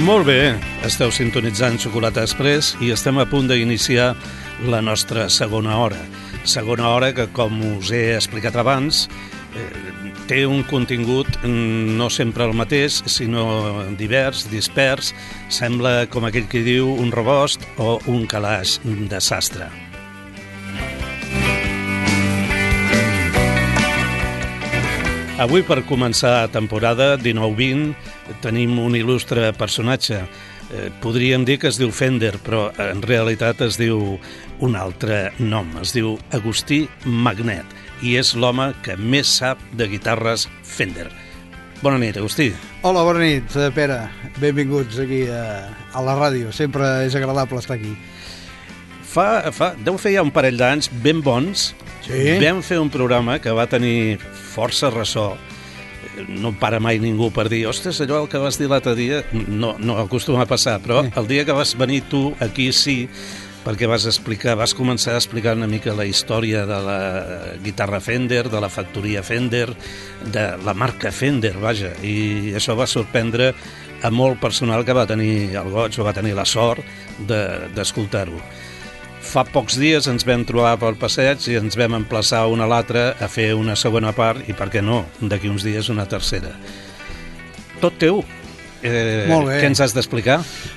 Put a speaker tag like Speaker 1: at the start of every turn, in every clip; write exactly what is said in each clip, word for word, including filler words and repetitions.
Speaker 1: Molt bé, esteu sintonitzant Xocolata Express i estem a punt d'iniciar la nostra segona hora. Segona hora que, com us he explicat abans, eh, té un contingut no sempre el mateix, sinó divers, dispers. Sembla, com aquell que diu, un rebost o un calaix de sastre. Avui, per començar temporada dinou vint, tenim un il·lustre personatge. Eh, podríem dir que es diu Fender, però en realitat es diu un altre nom. Es diu Agustí Magnet i és l'home que més sap de guitarres Fender. Bona nit, Agustí.
Speaker 2: Hola, bona nit, Pere. Benvinguts aquí a, a la ràdio. Sempre és agradable estar aquí.
Speaker 1: Fa, fa, deu fer ja un parell d'anys ben bons.
Speaker 2: Sí?
Speaker 1: Vam fer un programa que va tenir força ressò. No em para mai ningú per dir ostres, allò el que vas dir l'altre dia no, no acostuma a passar, però el dia que vas venir tu aquí sí, perquè vas explicar, vas començar a explicar una mica la història de la guitarra Fender, de la factoria Fender, de la marca Fender, vaja, i això va sorprendre a molt personal que va tenir el goig o va tenir la sort de, d'escoltar-ho. Fa pocs dies ens vam trobar pel passeig i ens vam emplaçar una a l'altra a fer una segona part i, per què no, d'aquí uns dies una tercera. Tot teu. Eh,
Speaker 2: Molt bé.
Speaker 1: Què ens has d'explicar?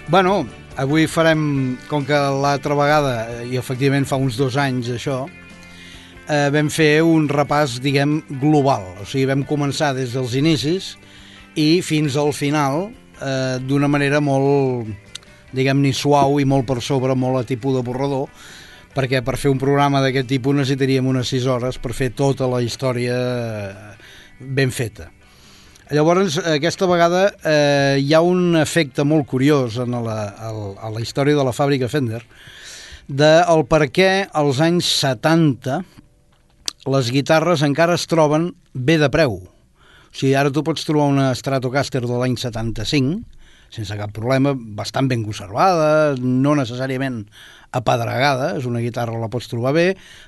Speaker 2: Bueno, avui farem, com que l'altra vegada, i efectivament fa uns dos anys això, eh, vam fer un repàs, diguem, global. O sigui, vam començar des dels inicis i fins al final eh, d'una manera molt, diguem-ne, suau i molt per sobre, molt a tipus de borrador, perquè per fer un programa d'aquest tipus necessitaríem unes sis hores per fer tota la història ben feta. Llavors, aquesta vegada eh, hi ha un efecte molt curiós en la, a la història de la fàbrica Fender del per què als anys setanta les guitarres encara es troben bé de preu. O sigui, ara tu pots trobar una Stratocaster de l'any setanta-cinc sense cap problema, bastant ben conservada, no necessàriament apedregada, és una guitarra, la pots trobar bé,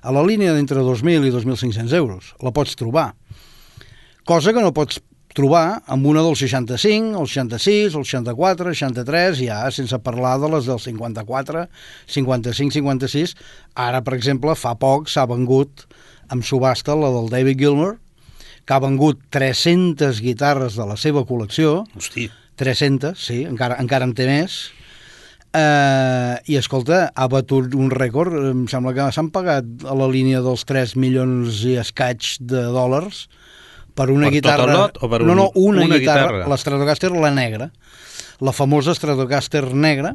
Speaker 2: a la línia d'entre dos mil i dos mil cinc-cents euros, la pots trobar. Cosa que no pots trobar amb una del seixanta-cinc, el seixanta-sis, el seixanta-quatre, el seixanta-tres, ja sense parlar de les del cinquanta-quatre, cinquanta-cinc, cinquanta-sis. Ara, per exemple, fa poc s'ha vengut amb subhasta la del David Gilmour, que ha vengut tres-centes guitarres de la seva col·lecció.
Speaker 1: Hosti.
Speaker 2: tres-centes, sí, encara, encara en té més. Eh, I, escolta, ha batut un rècord. Em sembla que s'han pagat a la línia dels tres milions i escaig de dòlars per una
Speaker 1: per
Speaker 2: guitarra...
Speaker 1: Per tot el lot o per un,
Speaker 2: no, no, una,
Speaker 1: una
Speaker 2: guitarra,
Speaker 1: guitarra?
Speaker 2: La Stratocaster, la negra. La famosa Stratocaster negra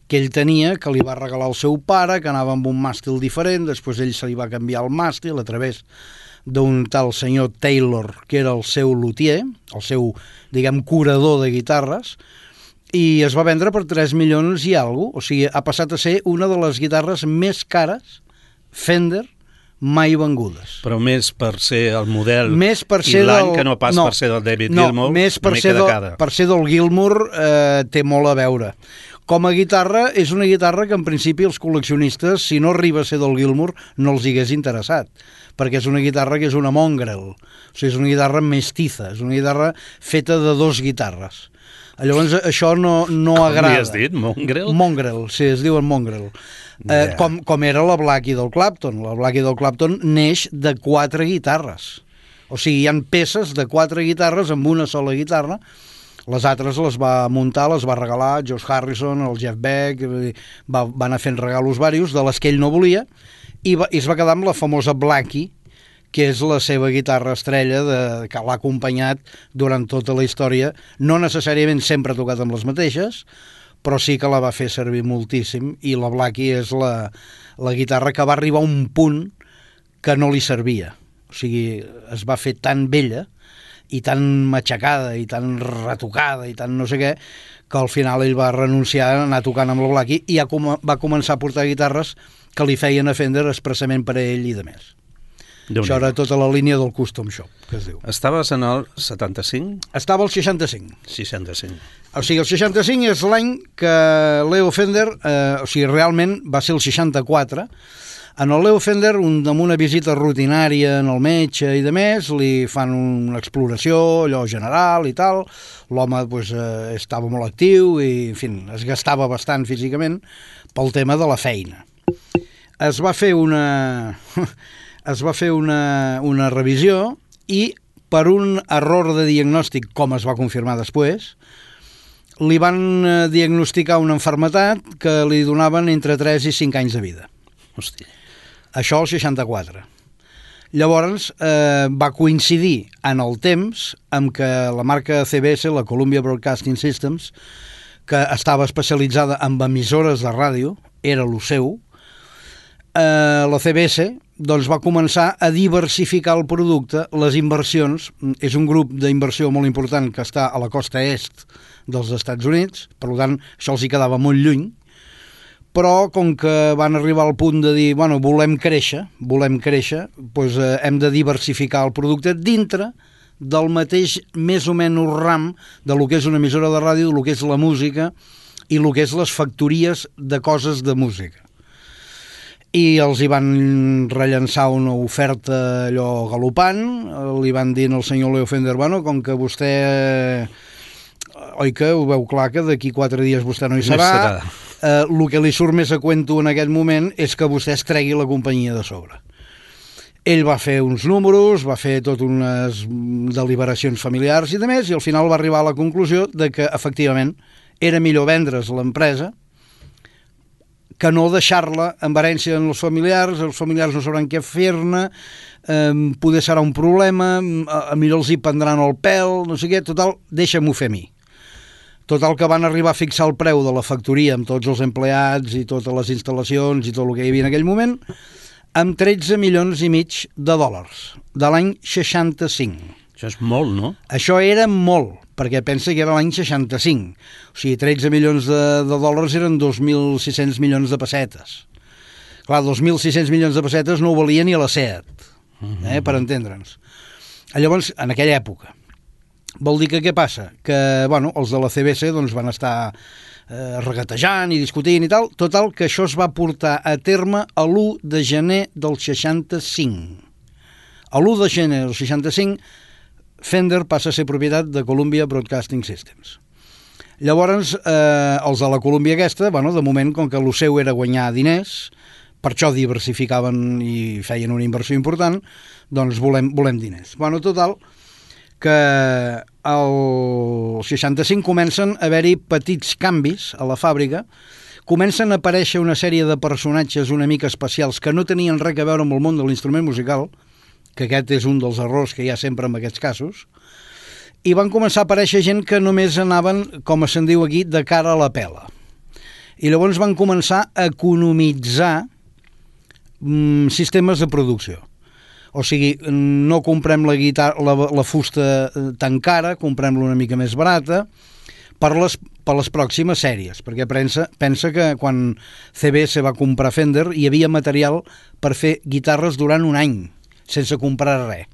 Speaker 2: que ell tenia, que li va regalar el seu pare, que anava amb un màstil diferent, després ell se li va canviar el màstil a través d'un tal senyor Taylor, que era el seu luthier, el seu, diguem, curador de guitarres, i es va vendre per tres milions i alguna cosa. O sigui, ha passat a ser una de les guitarres més cares Fender mai vengudes.
Speaker 1: Però més per ser el model
Speaker 2: més per
Speaker 1: i
Speaker 2: ser
Speaker 1: l'any
Speaker 2: del...
Speaker 1: que no pas
Speaker 2: no,
Speaker 1: per ser del David
Speaker 2: no,
Speaker 1: Gilmour,
Speaker 2: més per
Speaker 1: una
Speaker 2: ser
Speaker 1: mica de
Speaker 2: del,
Speaker 1: cada.
Speaker 2: per ser del Gilmour eh, té molt a veure. Com a guitarra, és una guitarra que en principi els col·leccionistes, si no arriba a ser del Gilmour, no els hagués interessat, perquè és una guitarra que és una mongrel, o sigui, és una guitarra mestiza, és una guitarra feta de dos guitarres. Llavors això no, no
Speaker 1: Com
Speaker 2: agrada.
Speaker 1: Com li has dit? Mongrel?
Speaker 2: Mongrel, sí, es diuen mongrel. Eh,
Speaker 1: Yeah.
Speaker 2: com, com era la Blackie del Clapton. La Blackie del Clapton neix de quatre guitarres. O sigui, hi ha peces de quatre guitarres amb una sola guitarra. Les altres les va muntar, les va regalar George Harrison, el Jeff Beck, va, va anar fent regalos varios de les que ell no volia, i, va, i es va quedar amb la famosa Blackie, que és la seva guitarra estrella de, que l'ha acompanyat durant tota la història, no necessàriament sempre ha tocat amb les mateixes, però sí que la va fer servir moltíssim, i la Blackie és la, la guitarra que va arribar a un punt que no li servia. O sigui, es va fer tan vella i tan matxacada i tan retocada i tan no sé què, que al final ell va renunciar a anar tocant amb la Blackie i ja com, va començar a portar guitarres que li feien a Fender expressament per a ell i de més. Això era tota la línia del Custom Shop, que es diu.
Speaker 1: Estaves en el setanta-cinc?
Speaker 2: Estava al seixanta-cinc.
Speaker 1: seixanta-cinc.
Speaker 2: O sigui, el seixanta-cinc és l'any que Leo Fender, eh, o sigui, realment va ser el seixanta-quatre, En el Leo Fender, un, amb una visita rutinària en el metge i de més, li fan una exploració, allò general i tal. L'home pues, eh, estava molt actiu i, en fi, es gastava bastant físicament pel tema de la feina. Es va fer una, es va fer una, una revisió i, per un error de diagnòstic, com es va confirmar després, li van diagnosticar una malaltia que li donaven entre tres i cinc anys de vida.
Speaker 1: Hòstia.
Speaker 2: Això al seixanta-quatre. Llavors eh, va coincidir en el temps amb que la marca C B S, la Columbia Broadcasting Systems, que estava especialitzada en emissores de ràdio, era el seu, eh, la C B S doncs, va començar a diversificar el producte, les inversions. És un grup d'inversió molt important que està a la costa est dels Estats Units, per tant, això els hi quedava molt lluny, però com que van arribar al punt de dir, bueno, volem créixer, volem créixer, doncs eh, hem de diversificar el producte dintre del mateix, més o menys, ram de lo que és una emissora de ràdio, de lo que és la música i lo que és les factories de coses de música. I els hi van rellençar una oferta allò galopant, li van dir al senyor Leo Fender, bueno, com que vostè, oi que ho veu clar que d'aquí quatre dies vostè no hi serà, no serà. Eh, el que li surt més a cuento en aquest moment és que vostè es tregui la companyia de sobre. Ell va fer uns números, va fer tot unes deliberacions familiars i de més, i al final va arribar a la conclusió de que efectivament era millor vendre's l'empresa que no deixar-la en herència en els familiars, els familiars no sabran què fer-ne, eh, poder serà un problema, a, a millor els hi prendran el pèl, no sé què, total, deixa-m'ho fer a mi. Total, que van arribar a fixar el preu de la factoria amb tots els empleats i totes les instal·lacions i tot el que hi havia en aquell moment amb tretze milions i mig de dòlars, de l'any seixanta-cinc.
Speaker 1: Això és molt, no?
Speaker 2: Això era molt, perquè pensa que era l'any seixanta-cinc. O sigui, tretze milions de, de dòlars eren dos mil sis-cents milions de pessetes. Clar, dos mil sis-cents milions de pessetes no ho valia ni a la SEAT, eh, per entendre'ns. Llavors, en aquella època, vol dir que què passa? Que, bueno, els de la C B S doncs, van estar eh, regatejant i discutint i tal. Total, que això es va portar a terme a l'u de gener del seixanta-cinc. A l'u de gener del seixanta-cinc, Fender passa a ser propietat de Columbia Broadcasting Systems. Llavors, eh, els de la Columbia aquesta, bueno, de moment, com que el seu era guanyar diners, per això diversificaven i feien una inversió important, doncs volem, volem diners. Bueno, total, que al seixanta-cinc comencen a haver-hi petits canvis a la fàbrica, comencen a aparèixer una sèrie de personatges una mica especials que no tenien res a veure amb el món de l'instrument musical, que aquest és un dels errors que hi ha sempre en aquests casos, i van començar a aparèixer gent que només anaven, com se'n diu aquí, de cara a la pela. I llavors van començar a economitzar mm, sistemes de producció. O sigui, no comprem la, guitarra, la, la fusta tan cara, comprem-la una mica més barata per les, per les pròximes sèries, perquè pensa, pensa que quan C B S va comprar Fender hi havia material per fer guitarres durant un any, sense comprar res.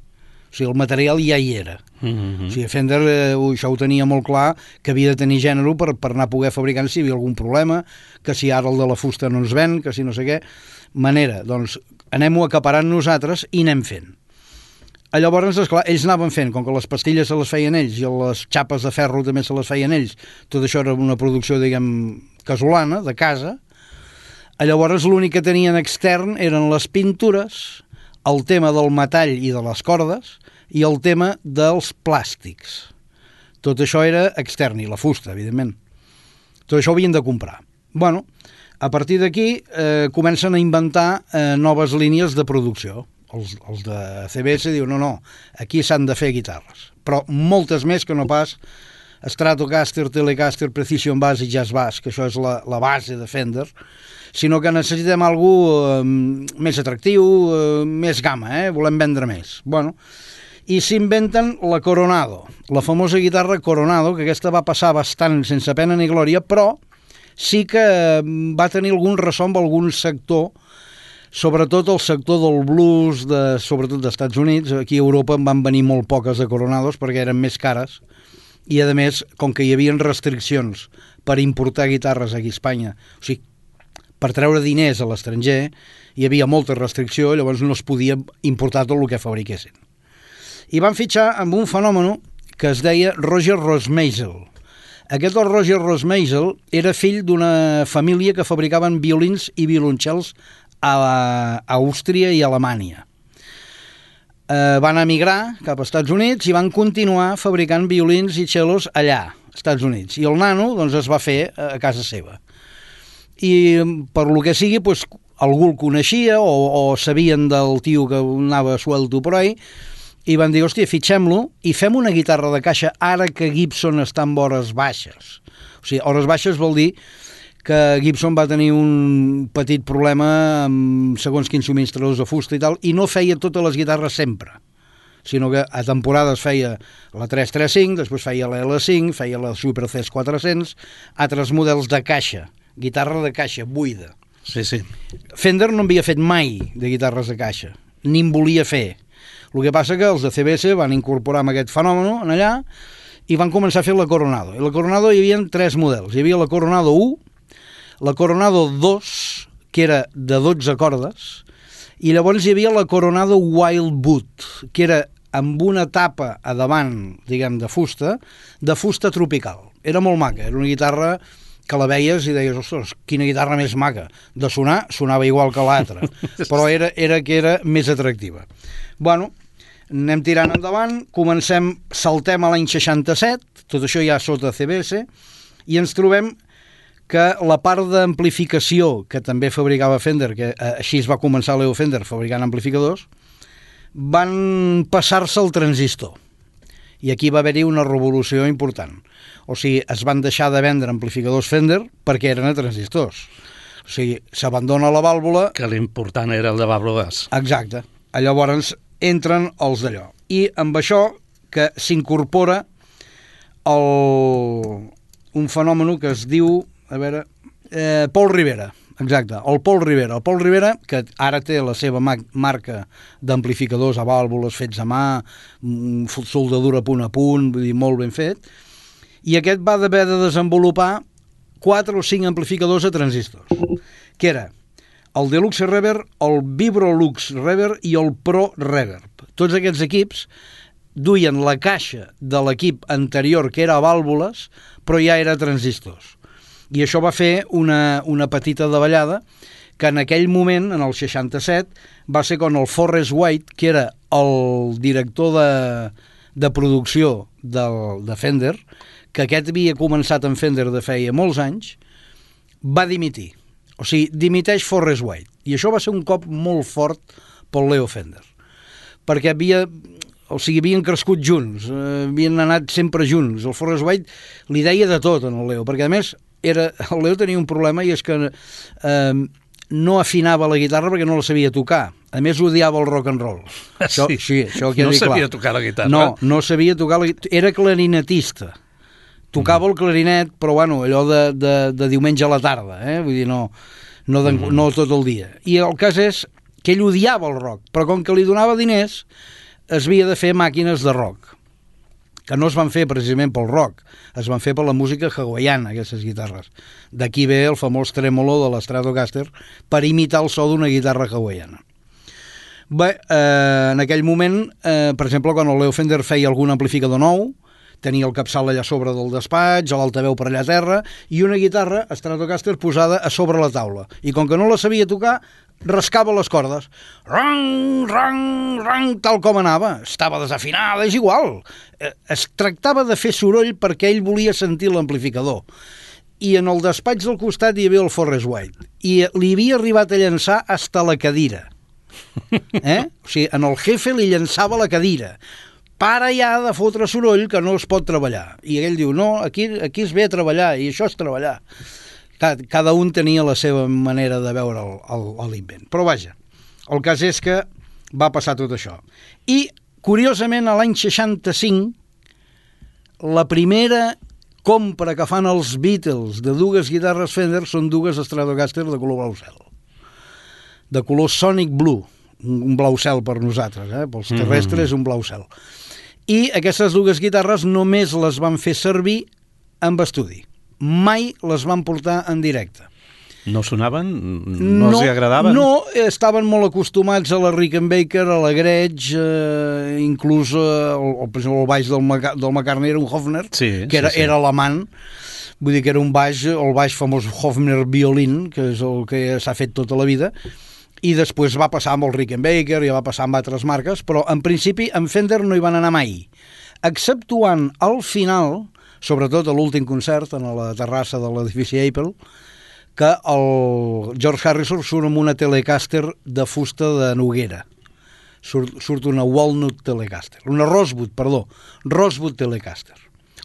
Speaker 2: O sigui, el material ja hi era. Mm-hmm. O sigui, Fender eh, això ho tenia molt clar, que havia de tenir gènere per, per anar a poder fabricar si hi havia algun problema, que si ara el de la fusta no ens ven, que si no sé què. Manera, doncs, anem-ho acaparant nosaltres i anem fent. Llavors, esclar, ells anaven fent, com que les pastilles se les feien ells i les xapes de ferro també se les feien ells, tot això era una producció, diguem, casolana, de casa. Llavors, l'únic que tenien extern eren les pintures, el tema del metall i de les cordes i el tema dels plàstics. Tot això era extern, i la fusta, evidentment. Tot això ho havien de comprar. Bueno, a partir d'aquí eh, comencen a inventar eh, noves línies de producció. Els, els de C B S diuen, no, no, aquí s'han de fer guitarres, però moltes més que no pas Stratocaster, Telecaster, Precision Bass i Jazz Bass, que això és la, la base de Fender, sinó que necessitem algú eh, més atractiu, eh, més gamma, eh? Volem vendre més. Bueno, i s'inventen la Coronado, la famosa guitarra Coronado, que aquesta va passar bastant sense pena ni glòria, però sí que va tenir algun ressò amb algun sector, sobretot el sector del blues, de, sobretot dels Estats Units. Aquí a Europa en van venir molt poques de Coronados perquè eren més cares, i a més, com que hi havia restriccions per importar guitarres aquí a Espanya, o sigui, per treure diners a l'estranger hi havia molta restricció, llavors no es podia importar tot el que fabriquessin. I van fitxar amb un fenomen que es deia Roger Rosmeisel. Aquest el Roger Rosmeisel era fill d'una família que fabricaven violins i violoncels a Àustria i Alemanya. Eh, van emigrar cap als Estats Units i van continuar fabricant violins i cellos allà, als Estats Units. I el nano doncs, es va fer a casa seva. I per lo que sigui, doncs, algú el coneixia o, o sabien del tio que anava suelto per ahí i van dir, hòstia, fitxem-lo i fem una guitarra de caixa ara que Gibson està en hores baixes. O sigui, hores baixes vol dir que Gibson va tenir un petit problema amb segons quins subministradors de fusta i tal, i no feia totes les guitarres sempre, sinó que a temporades feia la tres trenta cinc, després feia la L cinc, feia la Super C quatre-cents, altres models de caixa, guitarra de caixa, buida.
Speaker 1: Sí, sí.
Speaker 2: Fender no havia fet mai de guitarres de caixa, ni en volia fer. El que passa que els de C B S van incorporar amb aquest fenomen en allà i van començar a fer la Coronado. I la Coronado hi havia tres models. Hi havia la Coronado u, la Coronado dos, que era de dotze cordes, i llavors hi havia la Coronado Wild Boot, que era amb una tapa a davant, diguem, de fusta, de fusta tropical. Era molt maca, era una guitarra que la veies i deies, ostres, quina guitarra més maca. De sonar, sonava igual que l'altra, però era, era que era més atractiva. Bueno, anem tirant endavant, comencem, saltem a l'any seixanta-set, tot això ja sota C B S, i ens trobem que la part d'amplificació que també fabricava Fender, que eh, així es va començar Leo Fender fabricant amplificadors, van passar-se al transistor. I aquí va haver-hi una revolució important. O sigui, es van deixar de vendre amplificadors Fender perquè eren a transistors. O sigui, s'abandona la vàlvula...
Speaker 1: Que l'important era el de vàlvules.
Speaker 2: Exacte. Llavors entren els d'allò. I amb això que s'incorpora el... un fenomen que es diu... A veure, eh, Paul Rivera, exacte, el Paul Rivera. El Paul Rivera, que ara té la seva ma- marca d'amplificadors a vàlvules fets a mà, soldadura punt a punt, vull dir, molt ben fet, i aquest va haver de desenvolupar quatre o cinc amplificadors a transistors, que era el Deluxe Reverb, el Vibrolux Reverb i el Pro Reverb. Tots aquests equips duien la caixa de l'equip anterior, que era a vàlvules, però ja era a transistors. I això va fer una, una petita davallada que en aquell moment, en el seixanta-set, va ser quan el Forrest White, que era el director de, de producció del, de Fender, que aquest havia començat en Fender de feia molts anys, va dimitir. O sigui, dimiteix Forrest White. I això va ser un cop molt fort pel Leo Fender. Perquè havia... O sigui, havien crescut junts, eh, havien anat sempre junts. El Forrest White li deia de tot en el Leo, perquè a més era, el Leo tenia un problema i és que eh, no afinava la guitarra perquè no la sabia tocar. A més, odiava el rock and roll. Això,
Speaker 1: sí,
Speaker 2: sí, això queda
Speaker 1: no
Speaker 2: clar.
Speaker 1: sabia tocar la guitarra.
Speaker 2: No, no sabia tocar la guitarra. Era clarinetista. Tocava mm. el clarinet, però bueno, allò de, de, de diumenge a la tarda, eh? Vull dir, no, no, de, mm. no tot el dia. I el cas és que ell odiava el rock, però com que li donava diners, es havia de fer màquines de rock, que no es van fer precisament pel rock, es van fer per la música hawaiana, aquestes guitarres. D'aquí ve el famós trèmolo de l'Stratocaster per imitar el so d'una guitarra hawaiana. Bé, eh, en aquell moment, eh, per exemple, quan el Leo Fender feia algun amplificador nou, tenia el capçal allà sobre del despatx, l'altaveu per allà a terra, i una guitarra Stratocaster posada a sobre la taula. I com que no la sabia tocar, rascava les cordes. Rang, rang, rang, tal com anava. Estava desafinada, és igual. Es tractava de fer soroll perquè ell volia sentir l'amplificador. I en el despatx del costat hi havia el Forrest White. I li havia arribat a llançar hasta la cadira. Eh? O sigui, en el jefe li llançava la cadira. Para ja de fotre soroll que no es pot treballar. I ell diu, no, aquí, aquí es ve a treballar i això és treballar. Cada un tenia la seva manera de veure l'invent. Però vaja, el cas és que va passar tot això. I, curiosament, a l'any seixanta-cinc, la primera compra que fan els Beatles de dues guitarres Fender són dues Stratocaster de color blau cel. De color Sonic Blue, un blau cel per nosaltres, eh? Pels terrestres mm-hmm. un blau cel. I aquestes dues guitarres només les van fer servir amb estudi. Mai les van portar en directe.
Speaker 1: No sonaven? No, no els hi agradaven?
Speaker 2: No, estaven molt acostumats a la Rickenbacker, a la Gretsch, eh, inclús eh, el, el, el baix del, Maca, del McCartney era un Hofner,
Speaker 1: sí,
Speaker 2: que era,
Speaker 1: sí, sí. era
Speaker 2: alemany, vull dir que era un baix, el baix famós Hofner Violin, que és el que s'ha fet tota la vida, i després va passar amb el Rickenbacker, i va passar amb altres marques, però en principi en Fender no hi van anar mai, exceptuant al final, sobretot a l'últim concert, en la terrassa de l'edifici Apple, que el George Harrison surt amb una Telecaster de fusta de noguera. Surt, surt una Walnut Telecaster. Una Rosewood, perdó. Rosewood Telecaster.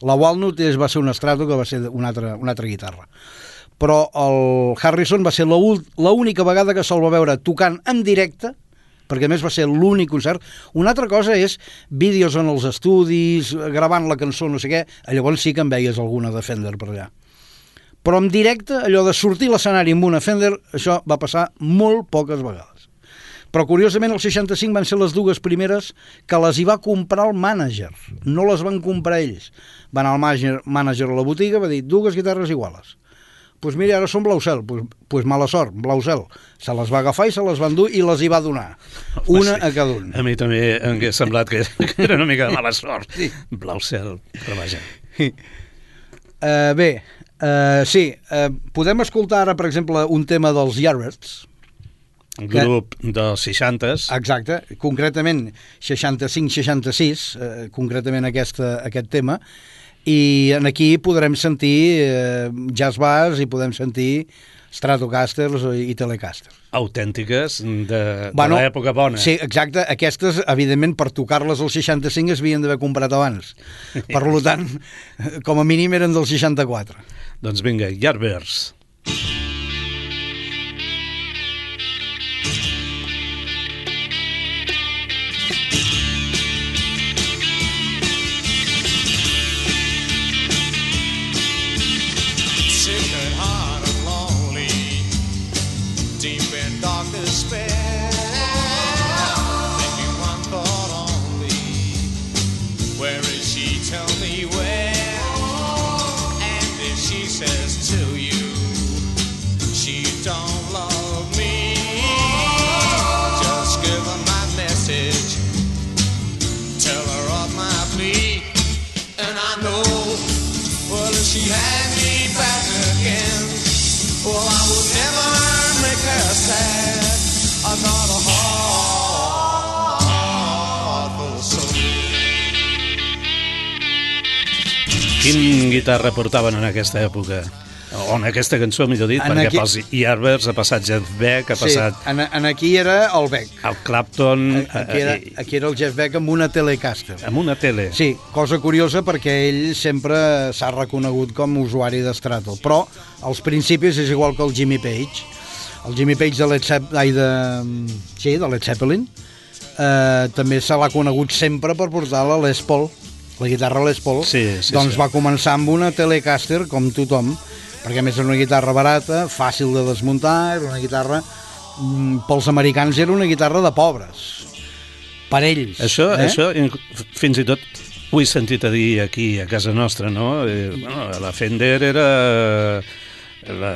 Speaker 2: La Walnut és, va ser un Strato, que va ser una altra, una altra guitarra. Però el Harrison va ser l'única vegada que se'l va veure tocant en directe, perquè a més va ser l'únic concert. Una altra cosa és vídeos en els estudis, gravant la cançó, no sé què, llavors sí que en veies alguna de Fender per allà. Però en directe, allò de sortir a l'escenari amb una Fender, això va passar molt poques vegades. Però curiosament els seixanta-cinc van ser les dues primeres que les hi va comprar el mànager, no les van comprar ells. Va anar el mànager, mànager a la botiga, va dir dues guitarres iguales. Doncs pues mira, ara són blau cel, doncs pues, pues mala sort, blau cel. Se les va agafar i se les va endur i les hi va donar, una sí. a cada un.
Speaker 1: A mi també em hauria semblat que era una mica de mala sort, sí. Blau cel, però vaja.
Speaker 2: Uh, bé, uh, sí, uh, podem escoltar ara, per exemple, un tema dels Yardbirds.
Speaker 1: Un grup que, dels seixantes.
Speaker 2: Exacte, concretament seixanta-cinc seixanta-sis, uh, concretament aquesta, aquest tema, i aquí podrem sentir eh, jazz bass i podem sentir Stratocasters i Telecasters.
Speaker 1: Autèntiques de, bueno, de l'època bona.
Speaker 2: Sí, exacte. Aquestes, evidentment, per tocar-les al seixanta-cinc es havien d'haver comprat abans. Per tant, com a mínim eren del seixanta-quatre.
Speaker 1: Doncs vinga, Yardbirds. Quin guitarra portaven en aquesta època? O en aquesta cançó, millor dit, en perquè aquí... pels Yardbirds ha passat Jeff Beck, ha passat...
Speaker 2: Sí, en, en aquí era el Beck.
Speaker 1: El Clapton...
Speaker 2: Aquí era, aquí era el Jeff Beck amb una Telecaster.
Speaker 1: Amb una tele.
Speaker 2: Sí, cosa curiosa perquè ell sempre s'ha reconegut com a usuari d'Strato, però als principis és igual que el Jimmy Page. El Jimmy Page de Led Zeppelin, de, sí, de Led Zeppelin eh, també se l'ha conegut sempre per portar la Les Paul, la guitarra Les Paul,
Speaker 1: sí, sí,
Speaker 2: doncs
Speaker 1: sí.
Speaker 2: Va començar amb una Telecaster, com tothom, perquè a més era una guitarra barata, fàcil de desmuntar, era una guitarra, pels americans era una guitarra de pobres, per ells.
Speaker 1: Això,
Speaker 2: eh?
Speaker 1: això fins i tot ho he sentit a dir aquí a casa nostra, no? Eh, bueno, la Fender era la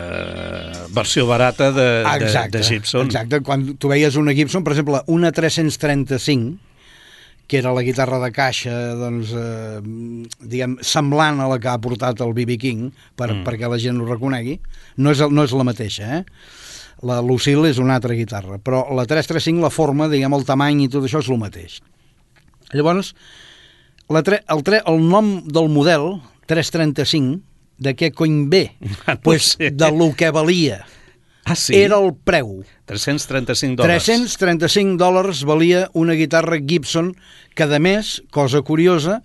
Speaker 1: versió barata de, exacte, de, de Gibson.
Speaker 2: Exacte, quan tu veies una Gibson, per exemple, una tres-cents trenta-cinc, que era la guitarra de caixa, doncs, eh, diguem, semblant a la que ha portat el B B King, per, mm. perquè la gent ho reconegui, no és, no és la mateixa, eh? La Lucille és una altra guitarra, però la tres trenta-cinc, la forma, diguem, el tamany i tot això és el mateix. Llavors, la tre, el, tre, el nom del model, tres trenta-cinc, de què cony ve?
Speaker 1: Ah, no
Speaker 2: pues
Speaker 1: sé.
Speaker 2: De lo que valia.
Speaker 1: Ah, sí?
Speaker 2: Era el preu.
Speaker 1: tres-cents trenta-cinc dòlars.
Speaker 2: tres-cents trenta-cinc dòlars valia una guitarra Gibson que, a més, cosa curiosa,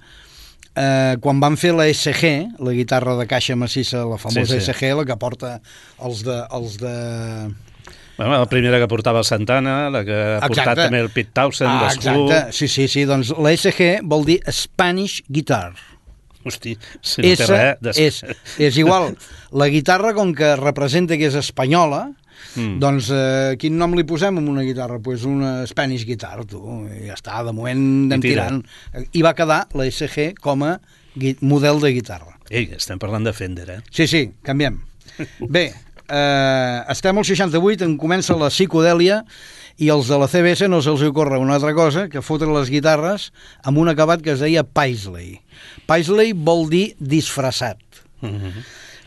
Speaker 2: eh, quan van fer la S G, la guitarra de caixa massissa, la famosa sí, sí. S G, la que porta els de... Els de...
Speaker 1: Bueno, la primera que portava Santana, la que ha portat exacte. També el Pete Townshend, ah,
Speaker 2: exacte, sí, sí, sí, doncs la S G vol dir Spanish Guitar.
Speaker 1: Hosti, si no té res... Des...
Speaker 2: És, és igual, la guitarra, com que representa que és espanyola, mm. doncs eh, quin nom li posem a una guitarra? Doncs pues una Spanish Guitar, tu, i ja està, de moment anem tirant. I va quedar la S G com a model de guitarra.
Speaker 1: Ei, estem parlant de Fender, eh?
Speaker 2: Sí, sí, canviem. Bé, eh, estem al seixanta-vuit, en comença la psicodèlia, i els de la C B S no se'ls ocorre una altra cosa que fotre les guitarres amb un acabat que es deia Paisley. Paisley vol dir disfressat. Uh-huh.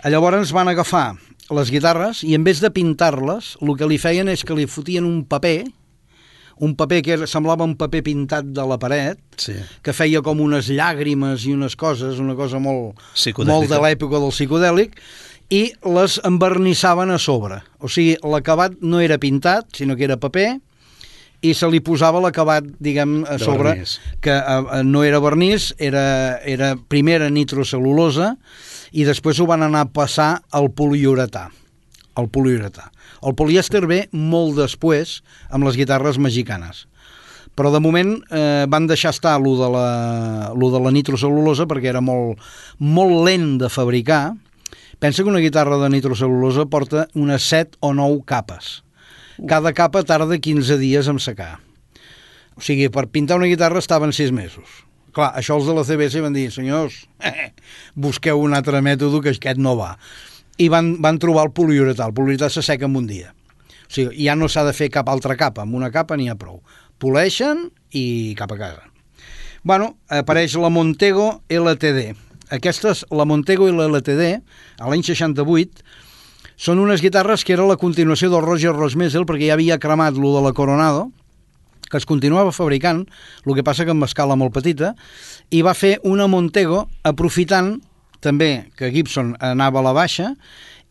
Speaker 2: Llavors van agafar les guitarres i en vez de pintar-les, el que li feien és que li fotien un paper, un paper que semblava un paper pintat de la paret, sí. que feia com unes llàgrimes i unes coses, una cosa molt, molt de l'època del psicodèlic, i les envernissaven a sobre. O sigui, l'acabat no era pintat, sinó que era paper, i se li posava l'acabat, diguem, a sobre, que uh, no era vernís, era, era primer era nitrocel·lulosa, i després ho van anar a passar al poliuretà. El poliuretà. El polièster ve molt després amb les guitarres mexicanes. Però de moment eh, van deixar estar lo de la, lo de la nitrocel·lulosa perquè era molt, molt lent de fabricar. Pensa que una guitarra de nitrocel·lulosa porta unes set o nou capes. Cada capa tarda quinze dies en secar. O sigui, per pintar una guitarra estaven sis mesos. Clar, això els de la C B S van dir, senyors, eh, busqueu un altre mètode que aquest no va. I van, van trobar el poliuretà. El poliuretà s'asseca en un dia. O sigui, ja no s'ha de fer cap altra capa. Amb una capa n'hi ha prou. Poleixen i cap a casa. Bueno, apareix la Montego L T D. Aquestes, la Montego i la L T D, a l'any seixanta-vuit, són unes guitarres que era la continuació del Roger Rosmesel, perquè ja havia cremat lo de la Coronado, que es continuava fabricant, el que passa que amb escala molt petita, i va fer una Montego aprofitant també que Gibson anava a la baixa,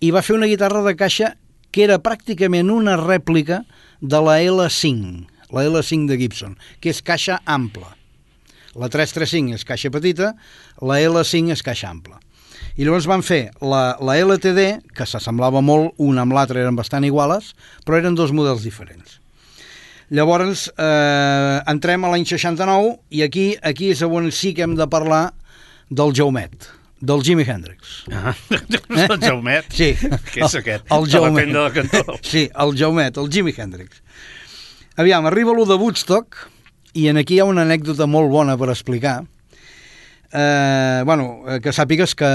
Speaker 2: i va fer una guitarra de caixa que era pràcticament una rèplica de la L cinc, la L cinc de Gibson, que és caixa ampla. La tres tres cinc és caixa petita, la L cinc és caixa ampla. I llavors van fer la, la L T D, que s'assemblava molt, una amb l'altra eren bastant iguales, però eren dos models diferents. Llavors, eh, entrem a l'any seixanta-nou, i aquí, aquí és on sí que hem de parlar del Jaumet, del Jimi Hendrix.
Speaker 1: Ah, eh? El Jaumet?
Speaker 2: Sí.
Speaker 1: Què és aquest?
Speaker 2: El, el Jaumet.
Speaker 1: De la cantó.
Speaker 2: Sí, el Jaumet, el Jimi Hendrix. Aviam, arriba lo de Woodstock, i en aquí hi ha una anècdota molt bona per explicar. Eh, bueno, que sàpigues que,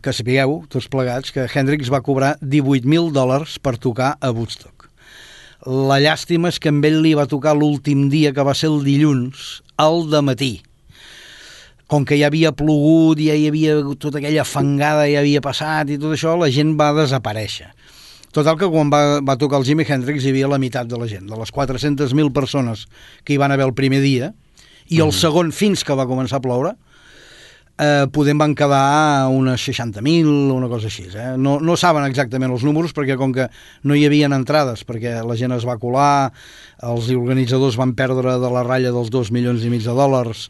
Speaker 2: que sapigueu, tots plegats, que Hendrix va cobrar divuit mil dòlars per tocar a Woodstock. La llàstima és que amb ell li va tocar l'últim dia, que va ser el dilluns, al dematí. Com que ja havia plogut, ja hi havia tota aquella fangada, ja havia passat i tot això, la gent va desaparèixer. Total que quan va, va tocar el Jimi Hendrix hi havia la meitat de la gent, de les quatre-centes mil persones que hi van haver el primer dia, i el mm. segon fins que va començar a ploure, eh, podem van quedar unes seixanta mil, una cosa així. Eh? No, no saben exactament els números, perquè com que no hi havia entrades, perquè la gent es va colar, els organitzadors van perdre de la ratlla dels dos milions i mig de dòlars,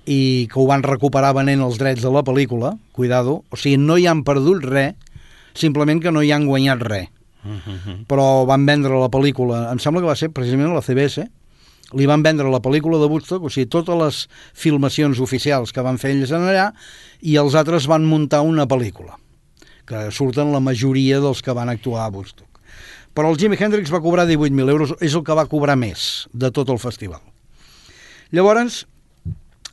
Speaker 2: i que ho van recuperar venent els drets de la pel·lícula, cuidado, o sigui, no hi han perdut res, simplement que no hi han guanyat res. Uh-huh. Però van vendre la pel·lícula, em sembla que va ser precisament la C B S, li van vendre la pel·lícula de Woodstock, o sigui, totes les filmacions oficials que van fer ells en allà, i els altres van muntar una pel·lícula, que surten la majoria dels que van actuar a Woodstock. Però el Jimi Hendrix va cobrar divuit mil euros, és el que va cobrar més de tot el festival. Llavors,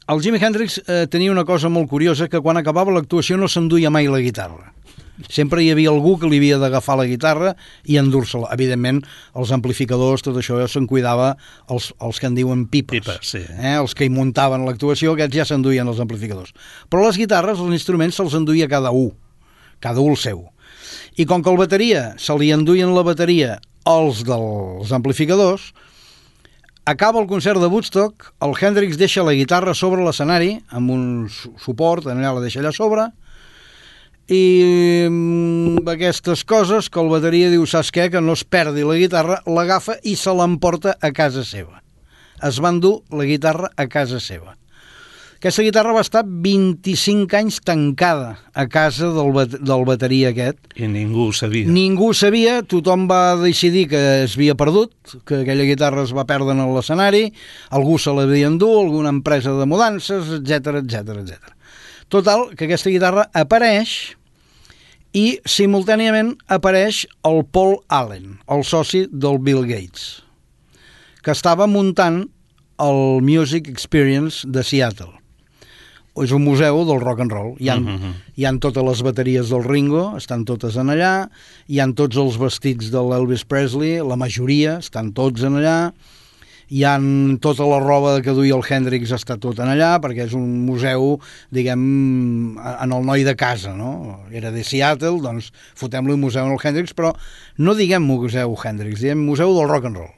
Speaker 2: el Jimi Hendrix eh, tenia una cosa molt curiosa, que quan acabava l'actuació no s'enduia mai la guitarra. Sempre hi havia algú que li havia d'agafar la guitarra i endur-se-la. Evidentment, els amplificadors, tot això se'n cuidava els, els que en diuen pipes.
Speaker 1: Pipes, sí.
Speaker 2: Eh? Els que hi muntaven l'actuació, aquests ja s'enduien els amplificadors. Però les guitarres, els instruments, se'ls enduia cada un. Cada un el seu. I com que el bateria se li enduien la bateria els dels amplificadors, acaba el concert de Woodstock, el Hendrix deixa la guitarra sobre l'escenari, amb un suport, allà la deixa allà sobre, i amb aquestes coses que el bateria diu, saps què, que no es perdi la guitarra, l'agafa i se l'emporta a casa seva. Es va endur la guitarra a casa seva. Aquesta guitarra va estar vint-i-cinc anys tancada a casa del, bat del bateria aquest.
Speaker 1: I ningú ho sabia.
Speaker 2: Ningú ho sabia, tothom va decidir que es havia perdut, que aquella guitarra es va perdre en l'escenari, algú se l'havia endut, alguna empresa de mudances, etcètera, etcètera, etcètera. Total, que aquesta guitarra apareix i simultàniament apareix el Paul Allen, el soci del Bill Gates, que estava muntant el Music Experience de Seattle, és un museu del rock and roll. Hi ha, uh-huh. hi ha totes les bateries del Ringo, estan totes en allà, hi han tots els vestits de l'Elvis Presley, la majoria estan tots en allà, hi ha tota la roba que duia el Hendrix, està tot en allà, perquè és un museu, diguem, en el noi de casa, no? Era de Seattle, doncs fotem-li un museu en el Hendrix, però no diguem museu Hendrix, diguem museu del rock and roll.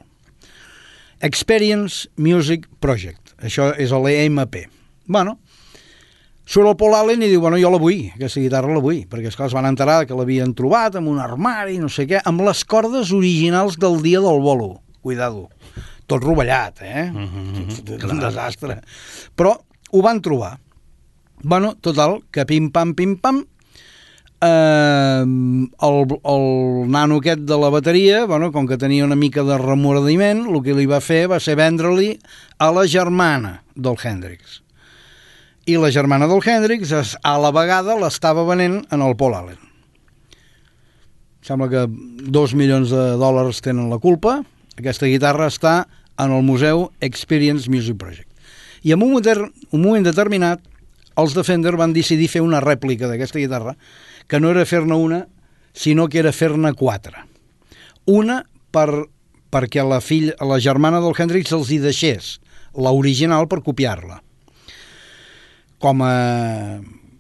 Speaker 2: Experience Music Project, això és l'E M P. Bueno, surt el Paul Allen i diu, bueno, jo la vull, aquesta guitarra la vull, perquè esclar, es van enterar que l'havien trobat en un armari, no sé què, amb les cordes originals del dia del bolo, cuidado, tot rovellat, eh? Mm-hmm, un desastre. Però ho van trobar. Bueno, total, que pim-pam, pim-pam, eh, el, el nano aquest de la bateria, bueno, com que tenia una mica de remordiment, el que li va fer va ser vendre-li a la germana del Hendrix. I la germana del Hendrix a la vegada l'estava venent en el Paul Allen. Sembla que dos milions de dòlars tenen la culpa. Aquesta guitarra està en el museu Experience Music Project. I en un moment, un moment determinat, els de Fender van decidir fer una rèplica d'aquesta guitarra, que no era fer-ne una, sinó que era fer-ne quatre. Una per, perquè la, fill, la germana del Hendrix els hi deixés l'original per copiar-la. Com a,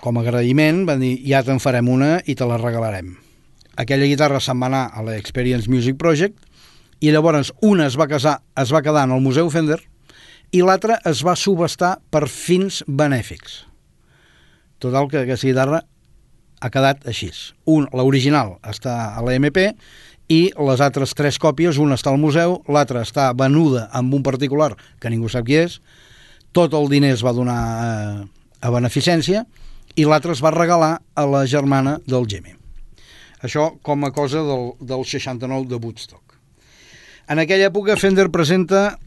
Speaker 2: com a agraïment van dir, ja te'n farem una i te la regalarem. Aquella guitarra se'n va anar a l'Experience Music Project i llavors una es va, casar, es va quedar en el Museu Fender i l'altra es va subestar per fins benèfics. Total, que aquesta guitarra ha quedat així. Un, l'original està a l'E M P i les altres tres còpies, una està al museu, l'altra està venuda amb un particular que ningú sap qui és, tot el diner es va donar a, a beneficència i l'altra es va regalar a la germana del Jimmy. Això com a cosa del, del seixanta-nou de Woodstock. En aquella època Fender presenta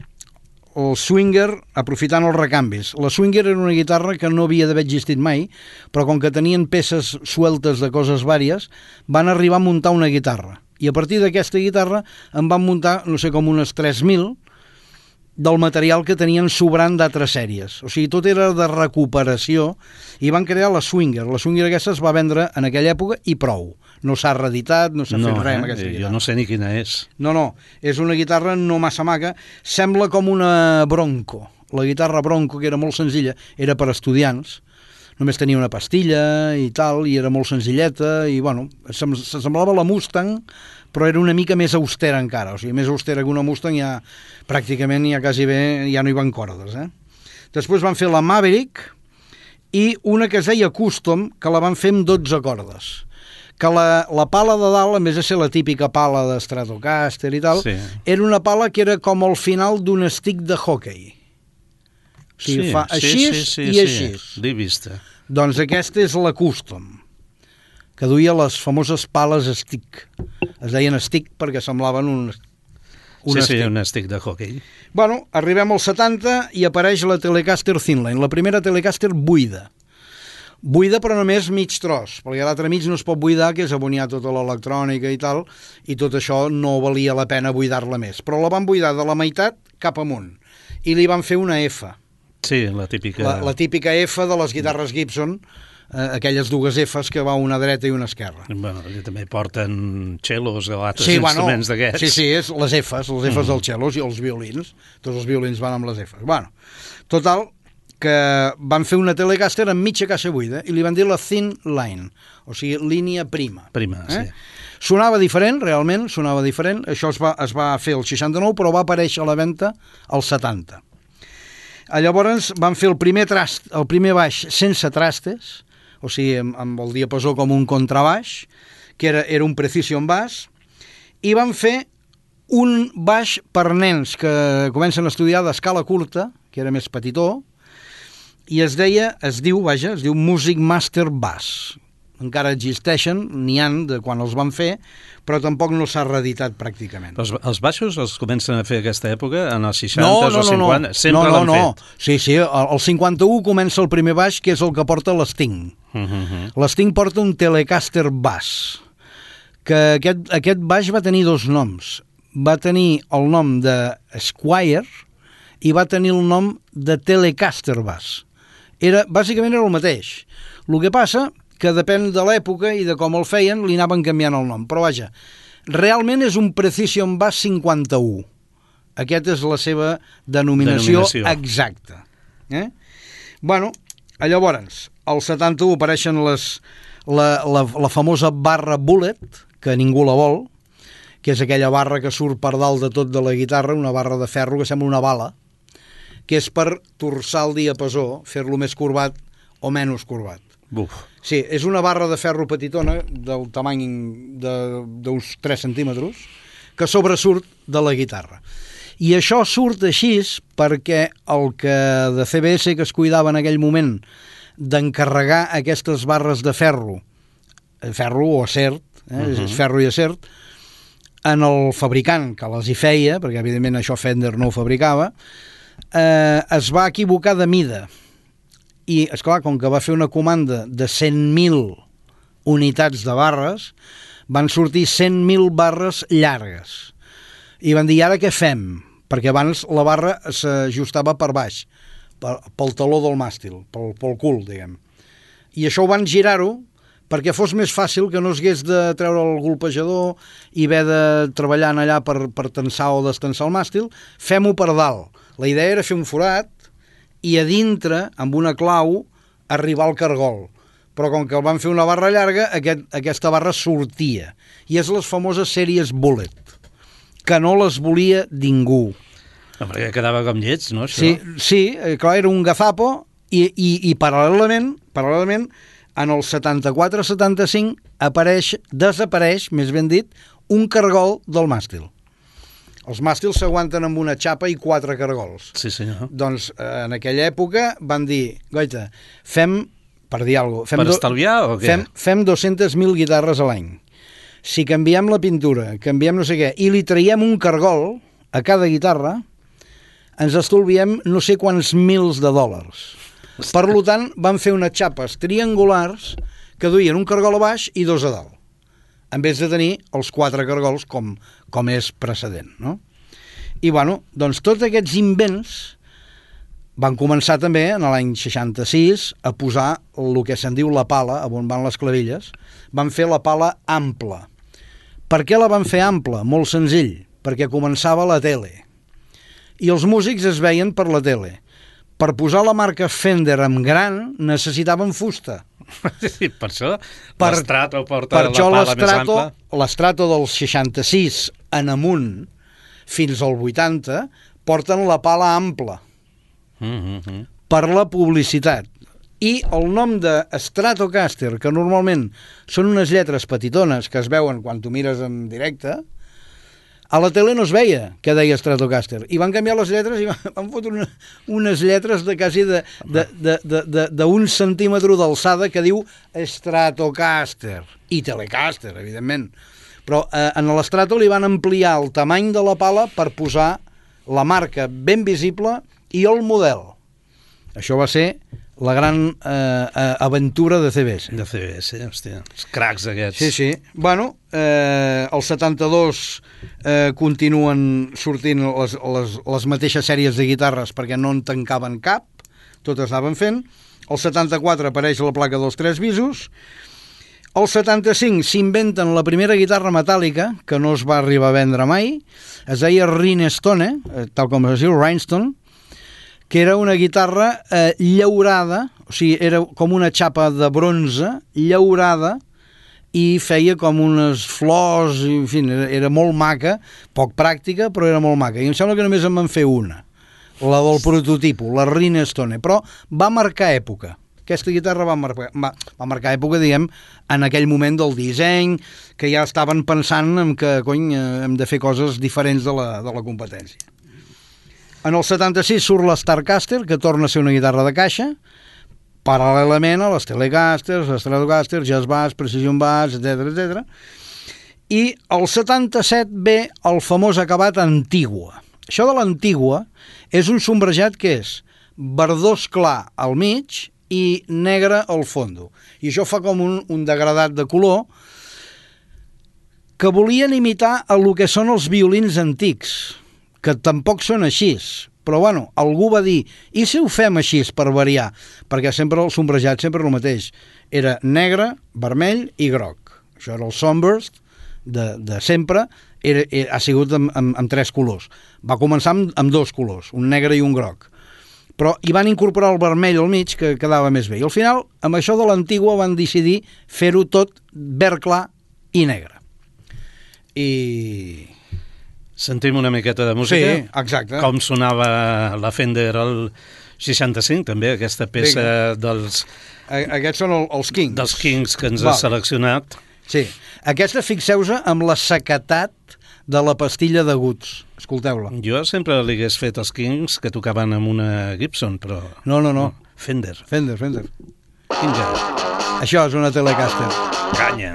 Speaker 2: el Swinger aprofitant els recanvis. La Swinger era una guitarra que no havia d'haver existit mai, però com que tenien peces sueltes de coses vàries, van arribar a muntar una guitarra. I a partir d'aquesta guitarra en van muntar, no sé, com unes tres mil del material que tenien sobrant d'altres sèries. O sigui, tot era de recuperació i van crear la Swinger. La Swinger aquesta es va vendre en aquella època i prou. No s'ha reeditat, no s'ha no, fet res amb aquesta
Speaker 1: eh?
Speaker 2: guitarra.
Speaker 1: Jo no sé ni quina és.
Speaker 2: No, no, és una guitarra no massa maca. Sembla com una Bronco. La guitarra Bronco, que era molt senzilla, era per estudiants. Només tenia una pastilla i tal, i era molt senzilleta, i bueno, s'assemblava a la Mustang, però era una mica més austera encara, o sigui, més austera que una Mustang, ja pràcticament ja quasi bé ja no hi van cordes, eh? Després van fer la Maverick i una que es deia Custom, que la van fer amb dotze cordes, que la, la pala de dalt, en vez de ser la típica pala de Stratocaster i tal, sí. Era una pala que era com al final d'un stick de hockey. O sigui,
Speaker 1: sí,
Speaker 2: fa així
Speaker 1: sí, sí, sí,
Speaker 2: i així.
Speaker 1: Sí, l'he vista.
Speaker 2: Doncs aquesta és la Custom, que duia les famoses pales stick. Es deien stick perquè semblaven un, un
Speaker 1: sí,
Speaker 2: stick.
Speaker 1: Sí, un stick de hockey.
Speaker 2: Bueno, arribem als setanta i apareix la Telecaster Thinline, la primera Telecaster buida. Buida però només mig tros, perquè a l'altre mig no es pot buidar, que és aboniar tota l'electrònica i tal, i tot això no valia la pena buidar-la més. Però la van buidar de la meitat cap amunt, i li van fer una F.
Speaker 1: Sí, la típica...
Speaker 2: La, la típica F de les guitarres Gibson, eh, aquelles dues Fs que va una dreta i una esquerra.
Speaker 1: Bueno, també porten cellos o altres
Speaker 2: sí,
Speaker 1: instruments
Speaker 2: bueno,
Speaker 1: d'aquests.
Speaker 2: Sí, sí, és les Fs, les Fs mm. dels cellos i els violins. Tots els violins van amb les Fs. Bueno, total, que van fer una Telecaster amb mitja caixa buida i li van dir la Thin Line, o sigui, línia prima.
Speaker 1: Prima, eh? sí.
Speaker 2: Sonava diferent, realment, sonava diferent. Això es va, es va fer el seixanta-nou, però va aparèixer a la venda al setanta. Llavors van fer el primer, trast, el primer baix sense trastes, o sigui, amb, amb el diapasó com un contrabaix, que era, era un Precision Bass, i van fer un baix per nens que comencen a estudiar d'escala curta, que era més petitó, i es deia, es diu, vaja, es diu Music Master Bass. Encara existeixen, n'hi han de quan els van fer, però tampoc no s'ha reeditat pràcticament.
Speaker 1: Els, els baixos els comencen a fer a aquesta època, en els seixanta
Speaker 2: no, no,
Speaker 1: o cinquanta?
Speaker 2: No,
Speaker 1: sempre
Speaker 2: no,
Speaker 1: l'han
Speaker 2: no,
Speaker 1: fet?
Speaker 2: No, sí, sí, el cinquanta-u comença el primer baix, que és el que porta l'Sting. Uh -huh. L'Sting porta un Telecaster Bass, que aquest, aquest baix va tenir dos noms. Va tenir el nom de Squire i va tenir el nom de Telecaster Bass. era, bàsicament era el mateix. El que passa que depèn de l'època i de com el feien, li anaven canviant el nom. Però vaja, realment és un Precision Bass cinquanta-u. Aquesta és la seva denominació, denominació. exacta. Eh? Bueno, llavors, al setanta-u apareixen les, la, la, la famosa barra Bullet, que ningú la vol, que és aquella barra que surt per dalt de tot de la guitarra, una barra de ferro que sembla una bala, que és per torçar el diapasó, fer-lo més corbat o menys corbat.
Speaker 1: Buf.
Speaker 2: Sí, és una barra de ferro petitona, del tamany d'uns tres centímetres, que sobresurt de la guitarra. I això surt així perquè el que de C B S que es cuidava en aquell moment d'encarregar aquestes barres de ferro, ferro o acer, eh? uh-huh. és ferro i acer, en el fabricant que les hi feia, perquè evidentment això Fender no ho fabricava, eh, es va equivocar de mida. I, esclar, com que va fer una comanda de cent mil unitats de barres, van sortir cent mil barres llargues. I van dir, ara què fem? Perquè abans la barra s'ajustava per baix, pel taló del màstil, pel, pel cul, diguem. I això ho van girar-ho perquè fos més fàcil, que no es hagués de treure el golpejador i haver de treballar allà per, per tensar o destensar el màstil, fem-ho per dalt. La idea era fer un forat i a dintre, amb una clau, arribar al cargol. Però com que el van fer una barra llarga, aquest, aquesta barra sortia. I és les famoses sèries Bullet, que no les volia ningú.
Speaker 1: Perquè quedava com llets, no? Això?
Speaker 2: Sí, sí, clar, era un gazapo i, i, i paral·lelament, paral·lelament, en el setanta-quatre setanta-cinc apareix, desapareix, més ben dit, un cargol del màstil. Els màstils s'aguanten amb una xapa i quatre cargols.
Speaker 1: Sí, senyor.
Speaker 2: Doncs en aquella època van dir, goita, fem, per dir alguna cosa...
Speaker 1: Per do, estalviar o què?
Speaker 2: Fem, fem dues-centes mil guitarres a l'any. Si canviem la pintura, canviem no sé què, i li traiem un cargol a cada guitarra, ens estolviem no sé quants mils de dòlars. Per tant, van fer unes xapes triangulars que duien un cargol a baix i dos a dalt, en vez de tenir els quatre cargols com, com és precedent, no? I, bueno, doncs tots aquests invents van començar també en l'any seixanta-sis a posar el que se'n diu la pala, on van les clavilles. Van fer la pala ampla. Per què la van fer ampla? Molt senzill, perquè començava la tele. I els músics es veien per la tele. Per posar la marca Fender en gran necessitaven fusta.
Speaker 1: Sí, per això per, l'Strato porta
Speaker 2: per
Speaker 1: la pala més ampla.
Speaker 2: L'Strato del seixanta-sis en amunt fins al vuitanta porten la pala ampla
Speaker 1: mm-hmm.
Speaker 2: per la publicitat. I el nom de Stratocaster, que normalment són unes lletres petitones que es veuen quan tu mires en directe, a la tele no es veia que deia Stratocaster, i van canviar les lletres i van fotre una, unes lletres de quasi de, de, de, de, de, d'un centímetre d'alçada que diu Stratocaster, i Telecaster, evidentment. Però eh, en l'Strato li van ampliar el tamany de la pala per posar la marca ben visible i el model. Això va ser la gran eh, aventura de C B S.
Speaker 1: De C B S, hòstia, els cracs aquests.
Speaker 2: Sí, sí. Bueno, eh, el setanta-dos eh, continuen sortint les, les, les mateixes sèries de guitarres perquè no en tancaven cap, totes anaven fent. El setanta-quatre apareix la placa dels tres bisos. El setanta-cinc s'inventen la primera guitarra metàl·lica, que no es va arribar a vendre mai, es deia Rhinestone, tal com es diu, Rhinestone, que era una guitarra eh, llaurada, o sigui, era com una xapa de bronze llaurada i feia com unes flors, i, en fi, era, era molt maca, poc pràctica, però era molt maca. I em sembla que només en van fer una, la del prototipo, la Rhinestone, però va marcar època. Aquesta guitarra va marcar, va, va marcar època, diguem, en aquell moment del disseny, que ja estaven pensant en que, cony, hem de fer coses diferents de la, de la competència. En el setanta-sis surt la Starcaster, que torna a ser una guitarra de caixa, paral·lelament a les Telecasters, les Stratocasters, Jazz Bass, Precision Bass, etcètera, etcètera. I el setanta-set ve el famós acabat Antigua. Això de l'Antigua és un sombrejat que és verdós clar al mig i negre al fondo. I això fa com un, un degradat de color que volien imitar el que són els violins antics, que tampoc són així, però bueno, algú va dir, i si ho fem així per variar? Perquè sempre el sombrejat sempre el mateix. Era negre, vermell i groc. Això era el Sunburst de, de sempre, era, era, ha sigut amb, amb, amb tres colors. Va començar amb, amb dos colors, un negre i un groc. Però hi van incorporar el vermell al mig, que quedava més bé. I al final, amb això de l'antigua, van decidir fer-ho tot verd clar i negre. I...
Speaker 1: Sentim una miqueta de música?
Speaker 2: Sí, exacte.
Speaker 1: Com sonava la Fender al seixanta-cinc, també, aquesta peça Vinga. dels...
Speaker 2: Aquests són el, els Kings.
Speaker 1: Dels Kings que ens
Speaker 2: Val.
Speaker 1: has seleccionat.
Speaker 2: Sí. Aquesta, fixeu-se amb la sequetat de la pastilla de Goods. Escolteu-la.
Speaker 1: Jo sempre li hagués fet els Kings que tocaven amb una Gibson, però...
Speaker 2: No, no, no.
Speaker 1: Fender.
Speaker 2: Fender, Fender.
Speaker 1: Vinga.
Speaker 2: Això és una Telecaster.
Speaker 1: Canya.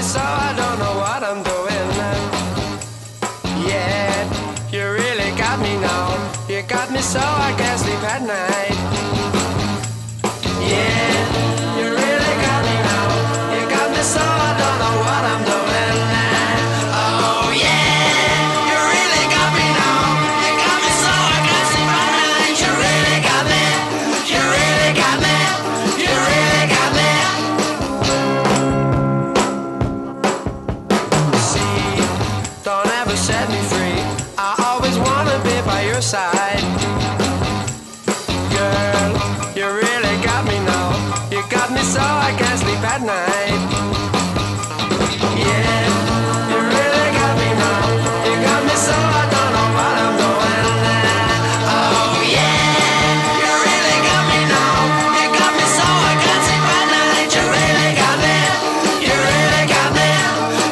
Speaker 3: So I don't know what I'm doing. Yeah, you really got me now. You got me so I can't sleep at night. Yeah, you really got me now. You got me so I don't know what I'm doing. Oh yeah, you really got me now. You got me so I can't sleep at night. You really got me. You really got me. You really got me. Don't ever set me free. I always wanna be by your side. Girl, you really got me now. You got me so I can't sleep at night. Yeah, you really got me now. You got me so I don't know what I'm doing. Oh yeah, you really got me now. You got me so I can't sleep at night. You really got me. You really got me.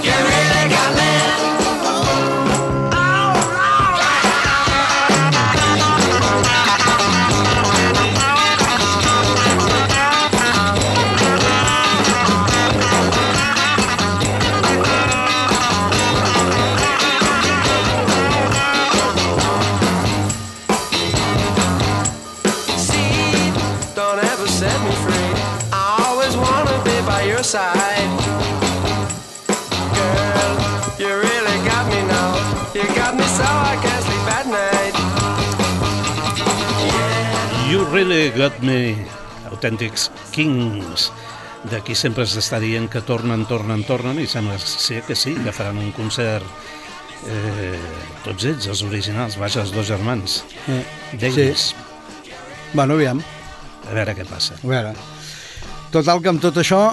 Speaker 3: You really got me. Side. Girl, you really got me now. You got me so I can't sleep at night. Yeah.
Speaker 1: You really got me, autèntics Kings. D'aquí sempre s'està dient que tornen, tornen, tornen, i sembla ser que sí, que faran un concert eh, tots ells, els originals, vaja, els dos germans.
Speaker 2: Eh,
Speaker 1: D'ells.
Speaker 2: sí. Bueno, aviam.
Speaker 1: A veure què passa.
Speaker 2: A veure. Total, que amb tot això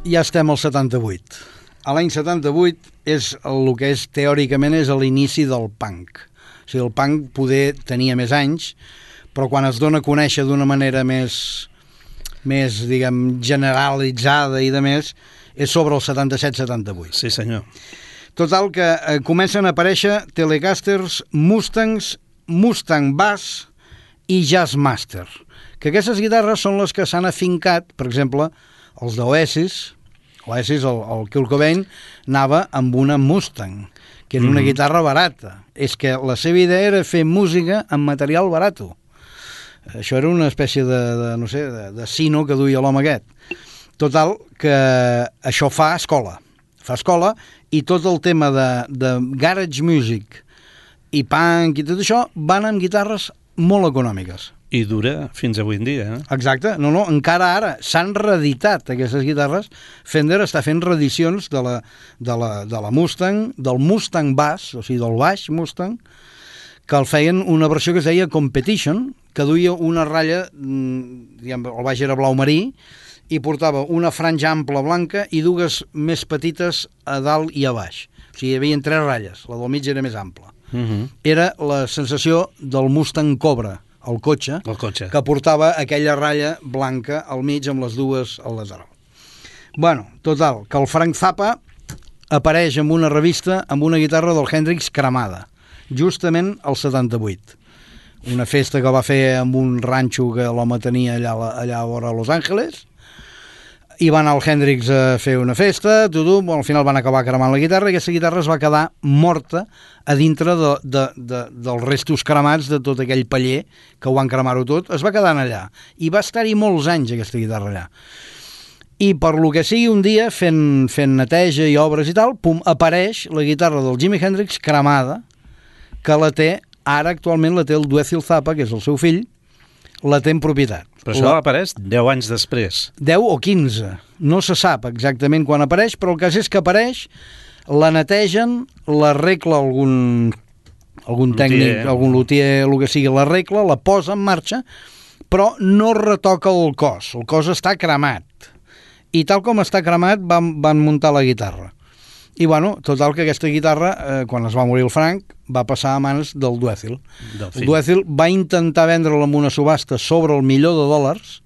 Speaker 2: ja estem al setanta-vuit. A l'any setanta-vuit és el que és, teòricament, és l'inici del punk. O sigui, el punk poder tenia més anys, però quan es dona a conèixer d'una manera més, més, diguem, generalitzada i de més, és sobre el setanta-set setanta-vuit.
Speaker 1: Sí, senyor.
Speaker 2: Total, que eh, comencen a aparèixer Telecasters, Mustangs, Mustang Bass i Jazzmaster. Que aquestes guitarres són les que s'han afincat, per exemple, els d'Oasis. Oasis, el, el Kurt Cobain, anava amb una Mustang, que és una mm-hmm. guitarra barata. És que la seva idea era fer música amb material barat. Això era una espècie de, de no sé, de, de sino que duia l'home aquest. Total, que això fa escola. Fa escola, i tot el tema de, de garage music i punk i tot això van amb guitarres molt econòmiques.
Speaker 1: I dura fins avui en dia, eh?
Speaker 2: Exacte, no, no, encara ara s'han reeditat aquestes guitarres. Fender està fent reedicions de la, de la, de la Mustang, del Mustang Bass, o sigui, del baix Mustang, que el feien una versió que es deia Competition, que duia una ratlla, diguem, el baix era blau marí, i portava una franja ampla blanca i dues més petites a dalt i a baix. O sigui, hi havia tres ratlles, la del mig era més ampla.
Speaker 1: Uh-huh.
Speaker 2: Era la sensació del Mustang Cobra, el cotxe,
Speaker 1: el cotxe,
Speaker 2: que portava aquella ratlla blanca al mig amb les dues al lateral. Bueno, total, que el Frank Zappa apareix en una revista amb una guitarra del Hendrix cremada, justament al setanta-vuit. Una festa que va fer amb un ranxo que l'home tenia allà, allà a vora Los Angeles, i va anar el Hendrix a fer una festa, tot, al final van acabar cremant la guitarra, i aquesta guitarra es va quedar morta a dintre de, de, de, dels restos cremats de tot aquell paller que ho van cremar-ho tot, es va quedar allà, i va estar-hi molts anys aquesta guitarra allà. I per lo que sigui un dia, fent, fent neteja i obres i tal, pum, apareix la guitarra del Jimi Hendrix cremada, que la té, ara actualment la té el Dweezil Zappa, que és el seu fill, la té en propietat.
Speaker 1: Però això
Speaker 2: la...
Speaker 1: apareix deu anys després.
Speaker 2: deu o quinze, no se sap exactament quan apareix, però el cas és que apareix, la netegen, l'arregla algun, algun tècnic,
Speaker 1: lutier.
Speaker 2: algun lutier, el que sigui, l'arregla, la posa en marxa, però no retoca el cos, el cos està cremat. I tal com està cremat van, van muntar la guitarra. I bueno, total que aquesta guitarra, eh, quan es va morir el Frank, va passar a mans del Dweezil.
Speaker 1: Del
Speaker 2: El
Speaker 1: fill.
Speaker 2: Dweezil va intentar vendre-la en una subhasta sobre el milió de dòlars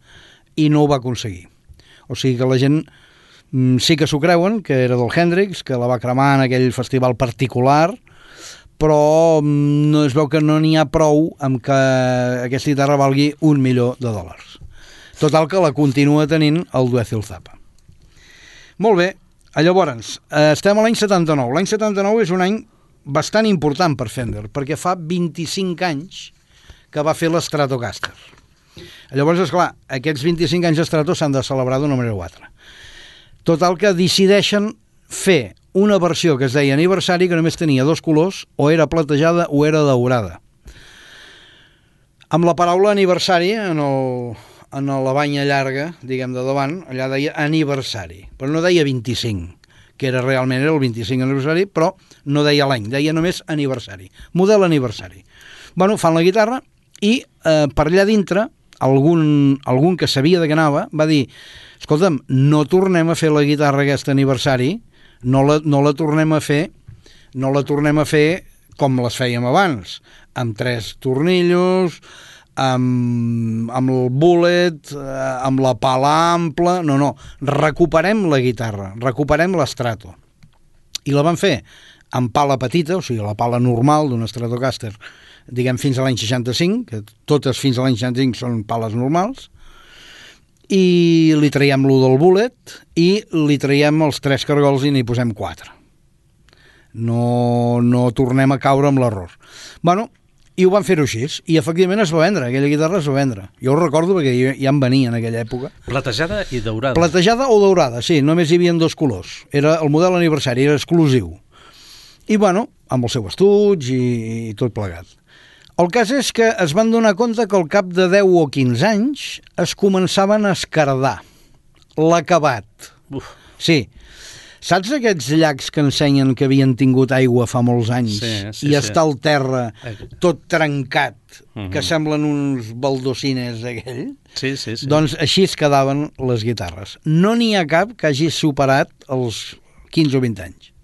Speaker 2: i no ho va aconseguir. O sigui que la gent mm, sí que s'ho creuen, que era del Hendrix, que la va cremar en aquell festival particular, però mm, no es veu que no n'hi ha prou amb que aquesta guitarra valgui un milió de dòlars. Total que la continua tenint el Dweezil Zappa. Molt bé, llavors, eh, estem a l'any setanta-nou. L'any setanta-nou és un any bastant important per Fender, perquè fa vint-i-cinc anys que va fer l'Stratocaster. Llavors, esclar, aquests vint-i-cinc anys d'Strato s'han de celebrar d'una manera o altra. Total que decideixen fer una versió que es deia aniversari, que només tenia dos colors, o era platejada o era daurada. Amb la paraula aniversari en el... en la banya llarga, diguem, de davant, allà deia aniversari, però no deia vint-i-cinc, que era realment era el vint-i-cinc aniversari, però no deia l'any, deia només aniversari, model aniversari. Bueno, fan la guitarra i eh, per allà dintre, algun, algun que sabia de què anava, va dir, escolta'm, no tornem a fer la guitarra aquest aniversari, no la, no la tornem a fer, no la tornem a fer com les fèiem abans, amb tres tornillos, amb, amb el bullet, eh, amb la pala ampla, no, no, recuperem la guitarra, recuperem l'Strato. I la van fer amb pala petita, o sigui, la pala normal d'un Stratocaster, diguem, fins a l'any seixanta-cinc, que totes fins a l'any seixanta-cinc són pales normals, i li traiem lo del bullet i li traiem els tres cargols i n'hi posem quatre. No, no tornem a caure amb l'error. Bueno, i ho van fer-ho així, i efectivament es va vendre, aquella guitarra es va vendre. Jo ho recordo perquè ja em venia en aquella època.
Speaker 1: Platejada i daurada.
Speaker 2: Platejada o daurada, sí, només hi havia dos colors. Era el model aniversari, era exclusiu. I bueno, amb el seu estuig i, i tot plegat. El cas és que es van donar compte que al cap de deu o quinze anys es començaven a escardar l'acabat.
Speaker 1: Uf.
Speaker 2: Sí. Saps aquests llacs que ensenyen que havien tingut aigua fa molts anys
Speaker 1: sí, sí,
Speaker 2: i
Speaker 1: sí.
Speaker 2: està el terra tot trencat,
Speaker 1: uh-huh.
Speaker 2: que semblen uns baldocines aquell?
Speaker 1: Sí, sí, sí.
Speaker 2: Doncs així es quedaven les guitarres. No n'hi ha cap que hagi superat els quinze o vint anys.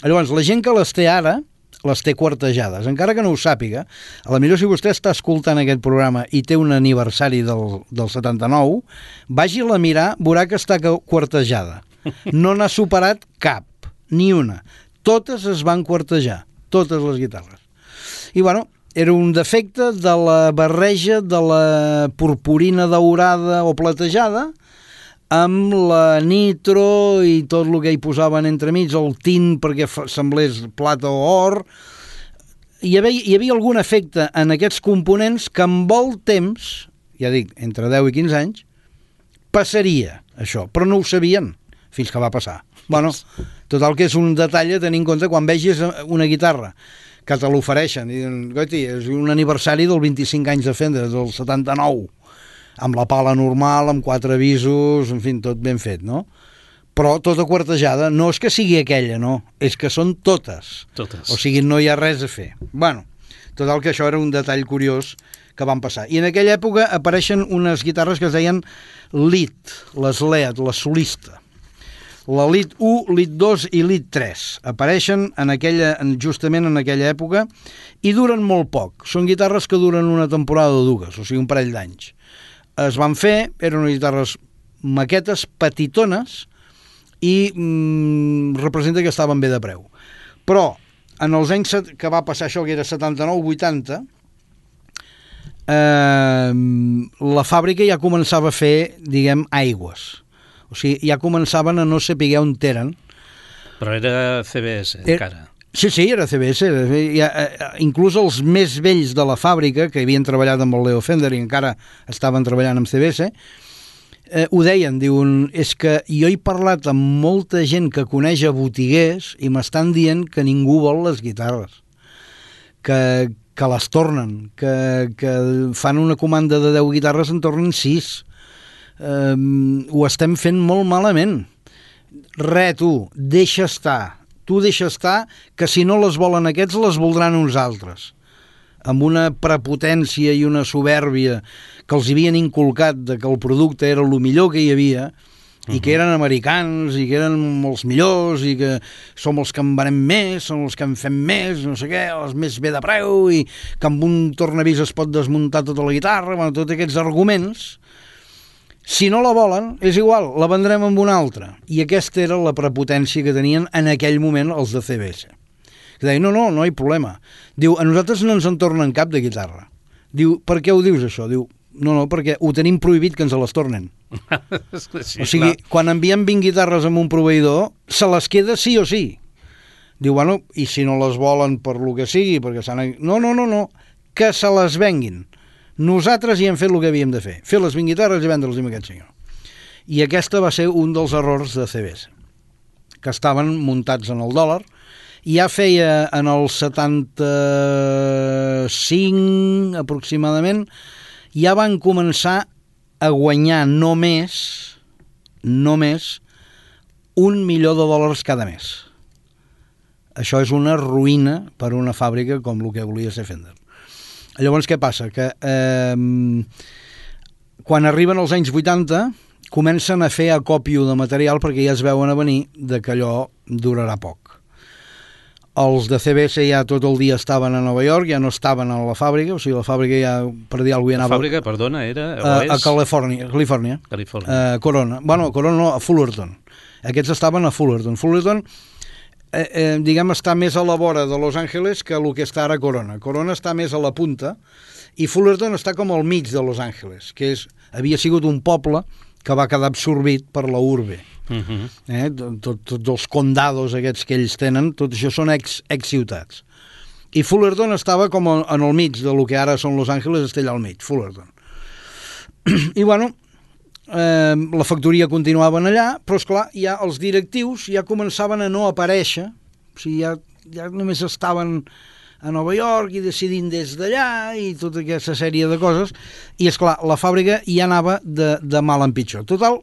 Speaker 2: Llavors, la gent que les té ara, les té quartejades. Encara que no ho sàpiga, a la millor si vostè està escoltant aquest programa i té un aniversari del, del setanta-nou, vagi-la a mirar, veurà que està quartejada. No n'ha superat cap, ni una. Totes es van quartejar, totes les guitarres. I bueno, era un defecte de la barreja de la purpurina daurada o platejada amb la nitro i tot el que hi posaven entremig, el tint perquè semblés plata o or. Hi havia, hi havia algun efecte en aquests components que amb el temps, ja dic, entre deu i quinze anys, passaria això, però no ho sabien fins que va passar. Bueno, total que és un detall a tenir en compte quan vegis una guitarra que te l'ofereixen i diuen, goiti, és un aniversari del vint-i-cinc anys de Fender, del setanta-nou, amb la pala normal, amb quatre avisos, en fi, tot ben fet, no? Però tota quartejada, no és que sigui aquella, no, és que són totes.
Speaker 1: Totes.
Speaker 2: O sigui, no hi ha res a fer. Bueno, total que això era un detall curiós que van passar. I en aquella època apareixen unes guitarres que es deien Lead, les Lead, la solista. La Lead u, Lead dos i Lead tres apareixen en aquella, justament en aquella època i duren molt poc. Són guitarres que duren una temporada o dues, o sigui, un parell d'anys. Es van fer, eren unes guitarres maquetes petitones i mm, representa que estaven bé de preu. Però en els anys que va passar això, que era setanta-nou vuitanta, eh, la fàbrica ja començava a fer, diguem, aigües. O sigui, ja començaven a no saber on eren.
Speaker 1: Però era C B S, encara.
Speaker 2: Sí, sí, era C B S. Ja, inclús els més vells de la fàbrica, que havien treballat amb el Leo Fender i encara estaven treballant amb C B S, eh, ho deien, diuen, és que jo he parlat amb molta gent que coneix a botiguers i m'estan dient que ningú vol les guitarres, que, que les tornen, que, que fan una comanda de deu guitarres en tornen sis. Eh, ho estem fent molt malament. Re, tu, deixa estar. Tu deixa estar, que si no les volen aquests, les voldran uns altres. Amb una prepotència i una soberbia que els havien inculcat de que el producte era el millor que hi havia, uh-huh. i que eren americans, i que eren molts millors, i que som els que en venem més, som els que en fem més, no sé què, els més bé de preu, i que amb un tornavís es pot desmuntar tota la guitarra, bueno, tots aquests arguments. Si no la volen, és igual, la vendrem amb una altra. I aquesta era la prepotència que tenien en aquell moment els de C B S. Que deien, no, no, no hi ha problema. Diu, a nosaltres no ens en tornen cap de guitarra. Diu, per què ho dius això? Diu, no, no, perquè ho tenim prohibit que ens les tornen. Sí, o sigui, clar. Quan enviem vint guitarres amb un proveïdor, se les queda sí o sí. Diu, bueno, i si no les volen per lo que sigui, perquè s'han... No, no, no, no, que se les venguin. Nosaltres hi hem fet el que havíem de fer, fer les vint guitarres i vendre-les amb aquest senyor. I aquesta va ser un dels errors de C B S, que estaven muntats en el dòlar, i ja feia en el setanta-cinc aproximadament, ja van començar a guanyar només, només un milió de dòlars cada mes. Això és una ruïna per a una fàbrica com el que volia ser Fender. Llavors, què passa? Que eh, quan arriben els anys vuitanta comencen a fer acòpio de material perquè ja es veuen a venir de que allò durarà poc. Els de C B S ja tot el dia estaven a Nova York, ja no estaven a la fàbrica, o sigui, la fàbrica ja, per dir alguna cosa,
Speaker 1: anava... La fàbrica, perdona, era...
Speaker 2: A, és... a Califòrnia, Califòrnia.
Speaker 1: Califòrnia.
Speaker 2: Uh, Corona. Bueno, Corona no, a Fullerton. Aquests estaven a Fullerton. Fullerton... Eh, eh, diguem, està més a la vora de Los Angeles que el que està ara Corona. Corona està més a la punta i Fullerton està com al mig de Los Angeles, que és, havia sigut un poble que va quedar absorbit per la urbe. Uh-huh. eh? Tots tot els condados aquests que ells tenen, tot això són ex, ex ciutats. I Fullerton estava com en el mig de lo que ara són Los Angeles, està allà al mig, Fullerton. I bueno, Eh, la factoria continuaven allà, però esclar, ja els directius ja començaven a no aparèixer, o sigui, ja, ja només estaven a Nova York i decidint des d'allà i tota aquesta sèrie de coses, i esclar, la fàbrica ja anava de, de mal en pitjor. Total,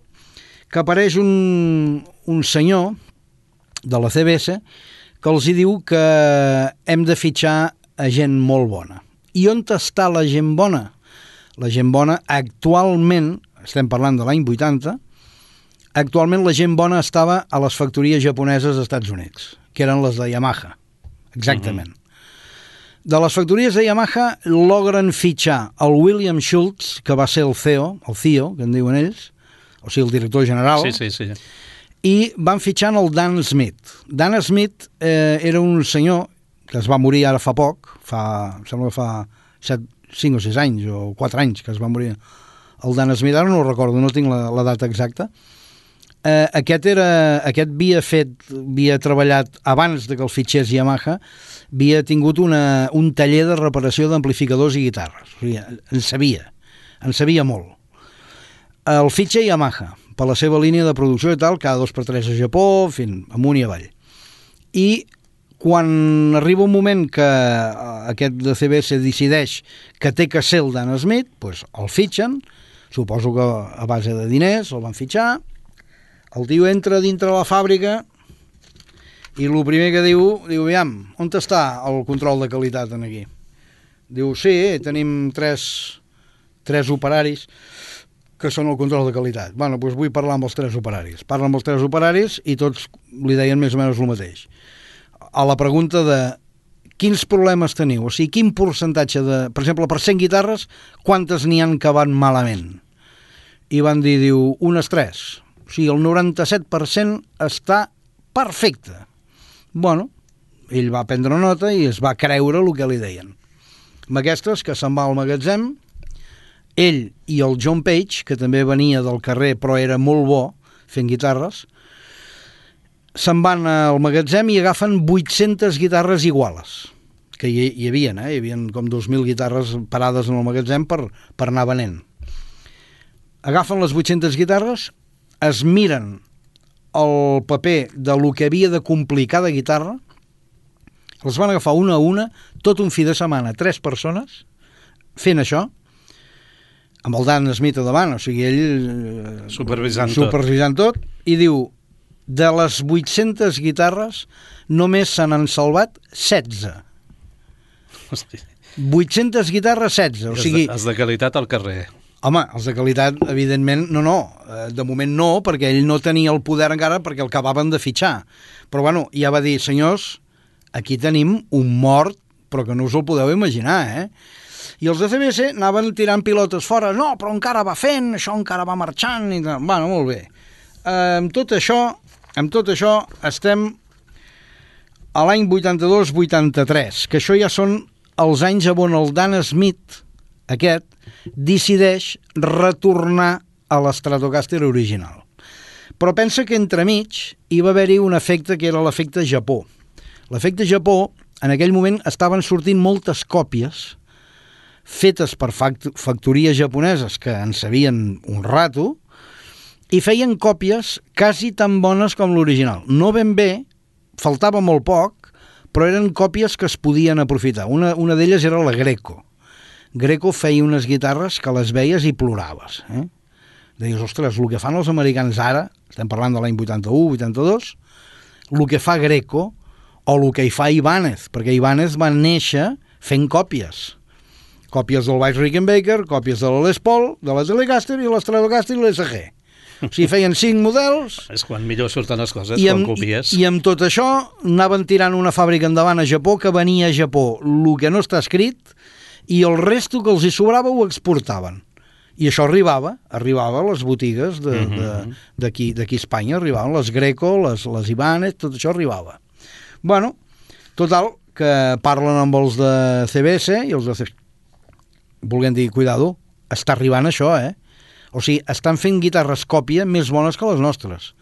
Speaker 2: que apareix un, un senyor de la C B S que els hi diu que hem de fitxar a gent molt bona. I on està la gent bona? La gent bona actualment, estem parlant de l'any vuitanta, actualment la gent bona estava a les factories japoneses dels Estats Units, que eren les de Yamaha, exactament. Uh-huh. De les factories de Yamaha logren fitxar el William Schultz, que va ser el C E O, el C I O, que en diuen ells, o sigui, el director general,
Speaker 1: sí, sí, sí.
Speaker 2: I van fitxant el Dan Smith. Dan Smith eh, era un senyor que es va morir ara fa poc, fa, sembla que fa set, cinc o sis anys, o quatre anys que es va morir el Dan Smith, ara no ho recordo, no tinc la, la data exacta. Eh, aquest, era, aquest havia fet, havia treballat abans de que el fitxés Yamaha, havia tingut una, un taller de reparació d'amplificadors i guitarres. O sigui, en sabia, en sabia molt. El fitxa Yamaha, per la seva línia de producció i tal, cada dos per tres a Japó, fin, amunt i avall. I quan arriba un moment que aquest de C B S decideix que té que ser el Dan Smith, doncs el fitxen, suposo que a base de diners el van fitxar, el tio entra dintre la fàbrica i el primer que diu, diu, aviam, on està el control de qualitat en aquí? Diu, sí, tenim tres, tres operaris que són el control de qualitat. Bueno, doncs vull parlar amb els tres operaris. Parla amb els tres operaris i tots li deien més o menys el mateix. A la pregunta de quins problemes teniu, o sigui, quin percentatge de... Per exemple, per cent guitarres, quantes n'hi han que van malament? I van dir, diu, unes tres. O sigui, el noranta-set per cent està perfecte. Bueno, ell va prendre nota i es va creure el que li deien. Amb aquestes, que se'n va al magatzem, ell i el John Page, que també venia del carrer però era molt bo fent guitarres, se'n van al magatzem i agafen vuit-centes guitarres iguales, que hi, hi havia, eh? Hi havia com dos mil guitarres parades en el magatzem per, per anar venent. agafen les vuit-centes guitarres, es miren el paper de lo que havia de complir cada guitarra, les van agafar una a una, tot un fi de setmana, tres persones, fent això, amb el Dan Smith a davant, o sigui, ell eh,
Speaker 1: Supervisant tot.
Speaker 2: supervisant tot, i diu, de les vuit-centes guitarres, només se n'han salvat setze.
Speaker 1: Hosti.
Speaker 2: vuit-centes guitarres, setze. O sigui,
Speaker 1: Els de qualitat al carrer.
Speaker 2: home, els de qualitat, evidentment, no, no. Eh, De moment no, perquè ell no tenia el poder encara perquè el acabaven de fitxar. Però, bueno, ja va dir, senyors, aquí tenim un mort, però que no us el podeu imaginar, eh? I els de C B S anaven tirant pilotes fora. No, però encara va fent, això encara va marxant. I... Bueno, molt bé. Eh, amb tot això, amb tot això, estem a l'any vuitanta-dos vuitanta-tres, que això ja són els anys on el Dan Smith, aquest, decideix retornar a l'Stratocaster original. Però pensa que entremig hi va haver-hi un efecte que era l'efecte Japó. L'efecte Japó, en aquell moment estaven sortint moltes còpies fetes per factories japoneses que en sabien un rato i feien còpies quasi tan bones com l'original. No ben bé, faltava molt poc, però eren còpies que es podien aprofitar. Una, una d'elles era la Greco. Greco feia unes guitarres que les veies i ploraves. Eh? Deies, ostres, el que fan els americans ara, estem parlant de l'any vuitanta-u, vuitanta-dos, el que fa Greco o el que hi fa Ibanez, perquè Ibanez va néixer fent còpies. Còpies del Bass Rickenbacker, còpies de la Les Paul, de la Telecaster i la Stratocaster i l'S G. O sigui, feien cinc models...
Speaker 1: És quan millor surten les coses,
Speaker 2: I
Speaker 1: quan
Speaker 2: amb,
Speaker 1: copies.
Speaker 2: i, I amb tot això anaven tirant una fàbrica endavant a Japó que venia a Japó el que no està escrit i el resto que els hi sobrava ho exportaven. I això arribava, arribava a les botigues d'aquí mm-hmm. a Espanya, arribaven les Greco, les, les Ibanez, tot això arribava. Bueno, total, que parlen amb els de C B S i els de C B S volguem dir, cuidado, està arribant això, eh? O sigui, estan fent guitarres còpia més bones que les nostres.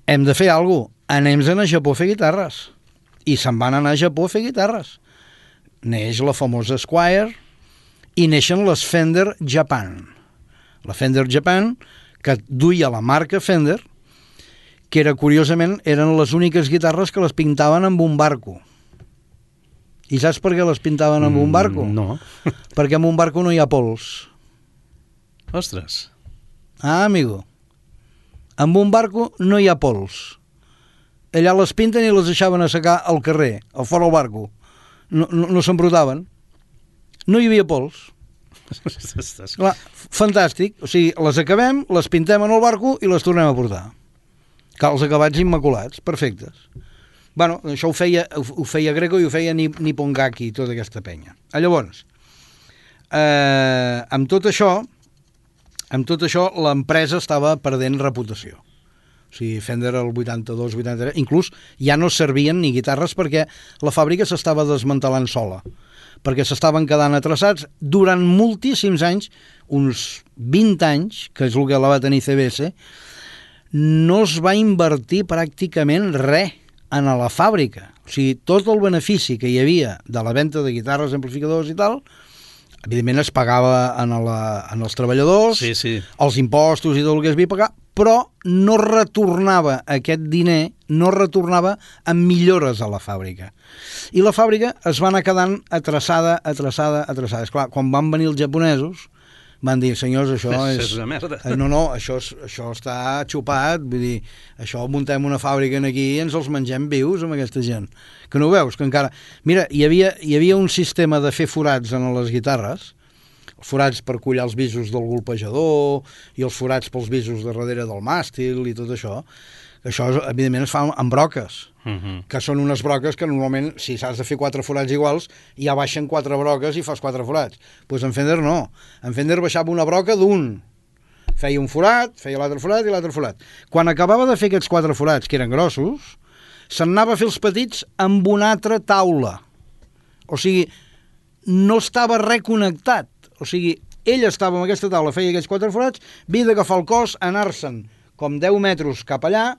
Speaker 2: Hem de fer alguna cosa. Anem-se'n a Japó a fer guitarres. I se'n van anar a Japó a fer guitarres. Neix la famosa Squier i neixen les Fender Japan. La Fender Japan, que duia la marca Fender, que era, curiosament, eren les úniques guitarres que les pintaven amb un barco. I saps per què les pintaven amb un barco?
Speaker 1: Mm, no.
Speaker 2: Perquè amb un barco no hi ha pols.
Speaker 1: Ostres.
Speaker 2: Ah, amigo. Amb un barco no hi ha pols. Allà les pinten i les deixaven assecar al carrer, a fora del barco. No, no, no s'embrotaven. No hi havia pols. Clar, fantàstic. O sigui, les acabem, les pintem en el barco i les tornem a portar. Cal els acabats immaculats, perfectes. Bueno, això ho feia, ho feia Greco i ho feia Nippon Gaki i tota aquesta penya. Llavors, eh, amb tot això, amb tot això, l'empresa estava perdent reputació. O sigui, Fender el vuitanta-dos vuitanta-tres, inclús ja no servien ni guitarres perquè la fàbrica s'estava desmantelant sola, perquè s'estaven quedant atrasats durant moltíssims anys, uns vint anys, que és el que la va tenir C B S, no es va invertir pràcticament res en la fàbrica. O sigui, tot el benefici que hi havia de la venda de guitarres, amplificadors i tal, evidentment es pagava en, la, en els treballadors,
Speaker 1: sí, sí.
Speaker 2: els impostos i tot el que es havia pagar, però no retornava aquest diner, no retornava amb millores a la fàbrica. I la fàbrica es va anar quedant atrasada, atrasada, atrasada. Esclar, quan van venir els japonesos, van dir, senyors, això és...
Speaker 1: és una merda.
Speaker 2: No, no, això, és, això està xupat, vull dir, això muntem una fàbrica aquí i ens els mengem vius amb aquesta gent. Que no ho veus? Que encara... Mira, hi havia, hi havia un sistema de fer forats en les guitarres, forats per collar els bisos del golpejador i els forats pels bisos de darrere del màstil i tot això. Això, evidentment, es fa amb broques, uh-huh. que són unes broques que normalment, si s'has de fer quatre forats iguals, ja baixen quatre broques i fas quatre forats. Doncs pues en Fender no. En Fender baixava una broca d'un. Feia un forat, feia l'altre forat i l'altre forat. Quan acabava de fer aquests quatre forats, que eren grossos, se'n anava a fer els petits amb una altra taula. O sigui, no estava reconnectat. O sigui, ell estava amb aquesta taula, feia aquests quatre forats, havia d'agafar el cos, anar-se'n com deu metres cap allà,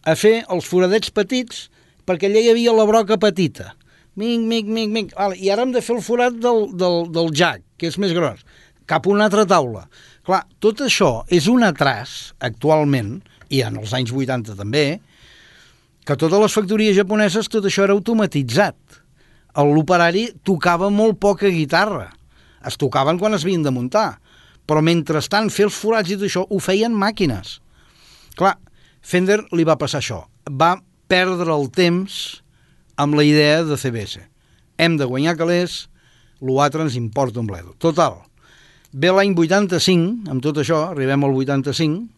Speaker 2: a fer els foradets petits, perquè allà hi havia la broca petita. Mic, mic, mic, mic. I ara hem de fer el forat del, del, del jack, que és més gros. cap a una altra taula. Clar, tot això és un atras, actualment, i en els anys vuitanta també, que totes les factories japoneses tot això era automatitzat. L'operari tocava molt poca guitarra. Es tocaven quan es havien de muntar, però mentrestant fer els forats i tot això ho feien màquines. Clar, Fender li va passar això. Va perdre el temps amb la idea de C B S. Hem de guanyar calés, l'altre ens importa un bledo. Total, ve l'any vuitanta-cinc, amb tot això, arribem al vuitanta-cinc,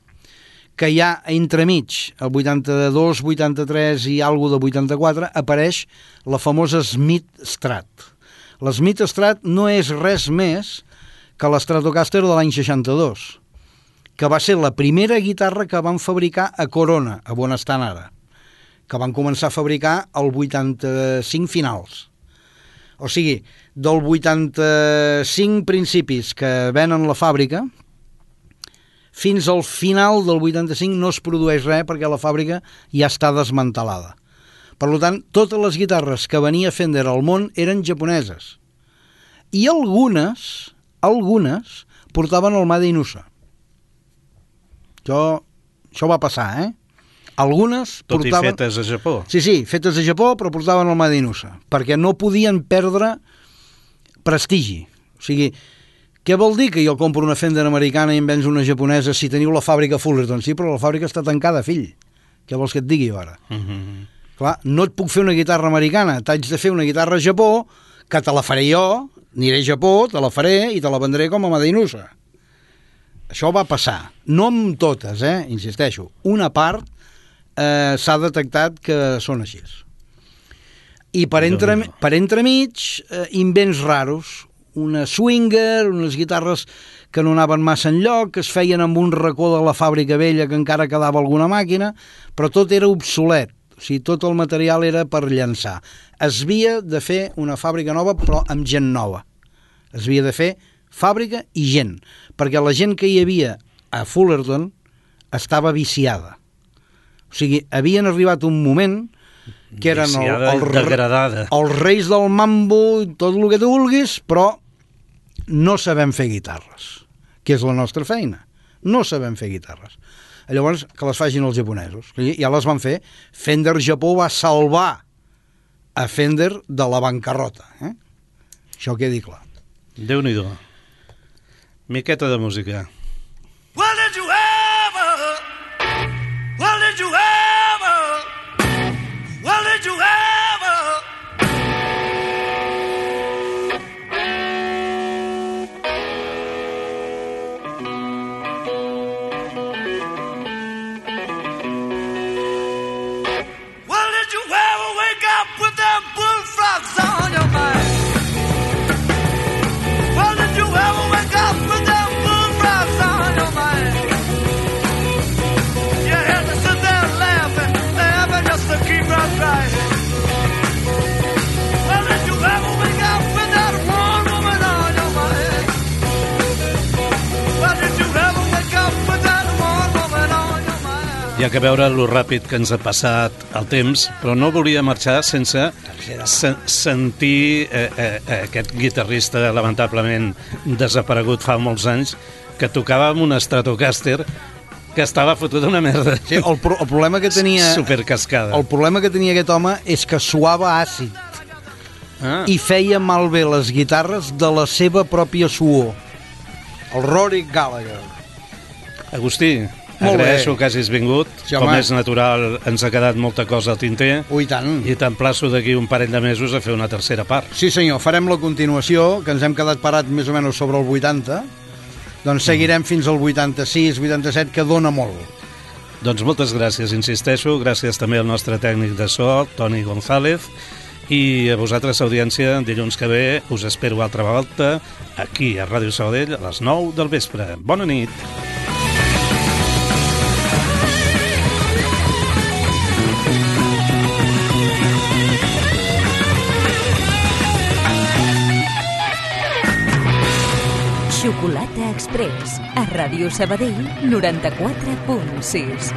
Speaker 2: que ja entremig, el vuitanta-dos, vuitanta-tres i alguna de vuitanta-quatre, apareix la famosa Smith Strat. La Smith Strat no és res més que l'Stratocaster de l'any seixanta-dos, que va ser la primera guitarra que van fabricar a Corona, a on estan ara, que van començar a fabricar el vuitanta-cinc finals. O sigui, del vuitanta-cinc principis que venen la fàbrica, fins al final del vuitanta-cinc no es produeix res perquè la fàbrica ja està desmantelada. Per tant, totes les guitarres que venia Fender al món eren japoneses. I algunes, algunes, portaven el Made in U S A. Això, això va passar, eh? Algunes
Speaker 1: Tot
Speaker 2: portaven...
Speaker 1: i fetes a Japó.
Speaker 2: Sí, sí, fetes a Japó, però portaven el Made in U S A, perquè no podien perdre prestigi. O sigui, què vol dir que jo compro una Fender americana i em vens una japonesa si teniu la fàbrica Fullerton? Sí, però la fàbrica està tancada, fill. Què vols que et digui ara?
Speaker 1: Mm-hmm.
Speaker 2: Clar, no et puc fer una guitarra americana, t'haig de fer una guitarra a Japó, que te la faré jo, aniré a Japó, te la faré i te la vendré com a Made in U S A. Això va passar. No amb totes, eh? Insisteixo. Una part eh, s'ha detectat que són així. I per, entre, per entremig, eh, invents raros. Una swinger, unes guitarres que no anaven massa enlloc, que es feien amb un racó de la fàbrica vella que encara quedava alguna màquina, però tot era obsolet. O sigui, tot el material era per llançar. Es havia de fer una fàbrica nova, però amb gent nova. Es havia de fer fàbrica i gent, perquè la gent que hi havia a Fullerton estava viciada. O sigui, havien arribat un moment que eren el, el,
Speaker 1: degradada.
Speaker 2: els reis del mambo, tot el que tu vulguis, però no sabem fer guitarres, que és la nostra feina. No sabem fer guitarres. Llavors, que les facin els japonesos. Ja les van fer. Fender Japó va salvar a Fender de la bancarrota. Eh? Això quedi clar.
Speaker 1: Déu-n'hi-do. Miqueta de música.
Speaker 3: Well, did you ever? Well, did you ever? Well, did you ever? Well, did you ever wake up with them bullfrogs on your mind? Well, did you ever wake up with them bullfrogs on your mind? You had to sit there laughing, laughing just to keep from crying. Well, did you ever wake up with that one woman on your mind? Well, did you ever wake up with that one woman on your mind?
Speaker 1: Hi ha que veure lo ràpid que ens ha passat el temps, però no volia marxar sense se sentir eh, eh, aquest guitarrista lamentablement desaparegut fa molts anys, que tocava amb un Stratocaster que estava fotut una merda.
Speaker 2: Sí, el, pro el problema que tenia...
Speaker 1: Supercascada.
Speaker 2: El problema que tenia aquest home és que suava àcid
Speaker 1: Ah.
Speaker 2: i feia malbé les guitarres de la seva pròpia suor. El Rory Gallagher.
Speaker 1: Agustí,
Speaker 2: Molt
Speaker 1: agraeixo
Speaker 2: bé.
Speaker 1: que hagis vingut.
Speaker 2: Sí,
Speaker 1: Com
Speaker 2: home.
Speaker 1: és natural, ens ha quedat molta cosa al tinter.
Speaker 2: Ui, tant.
Speaker 1: I t'emplaço d'aquí un parell de mesos a fer una tercera part.
Speaker 2: Sí, senyor, farem la continuació, que ens hem quedat parat més o menys sobre el vuitanta. Doncs seguirem fins al vuitanta-sis, vuitanta-set, que dona molt.
Speaker 1: Doncs moltes gràcies, insisteixo. Gràcies també al nostre tècnic de so, Toni González. I a vosaltres, audiència, dilluns que ve us espero altra volta aquí a Ràdio Sabadell a les nou del vespre. Bona nit.
Speaker 4: Xocolata Express, a Ràdio Sabadell noranta-quatre punt sis.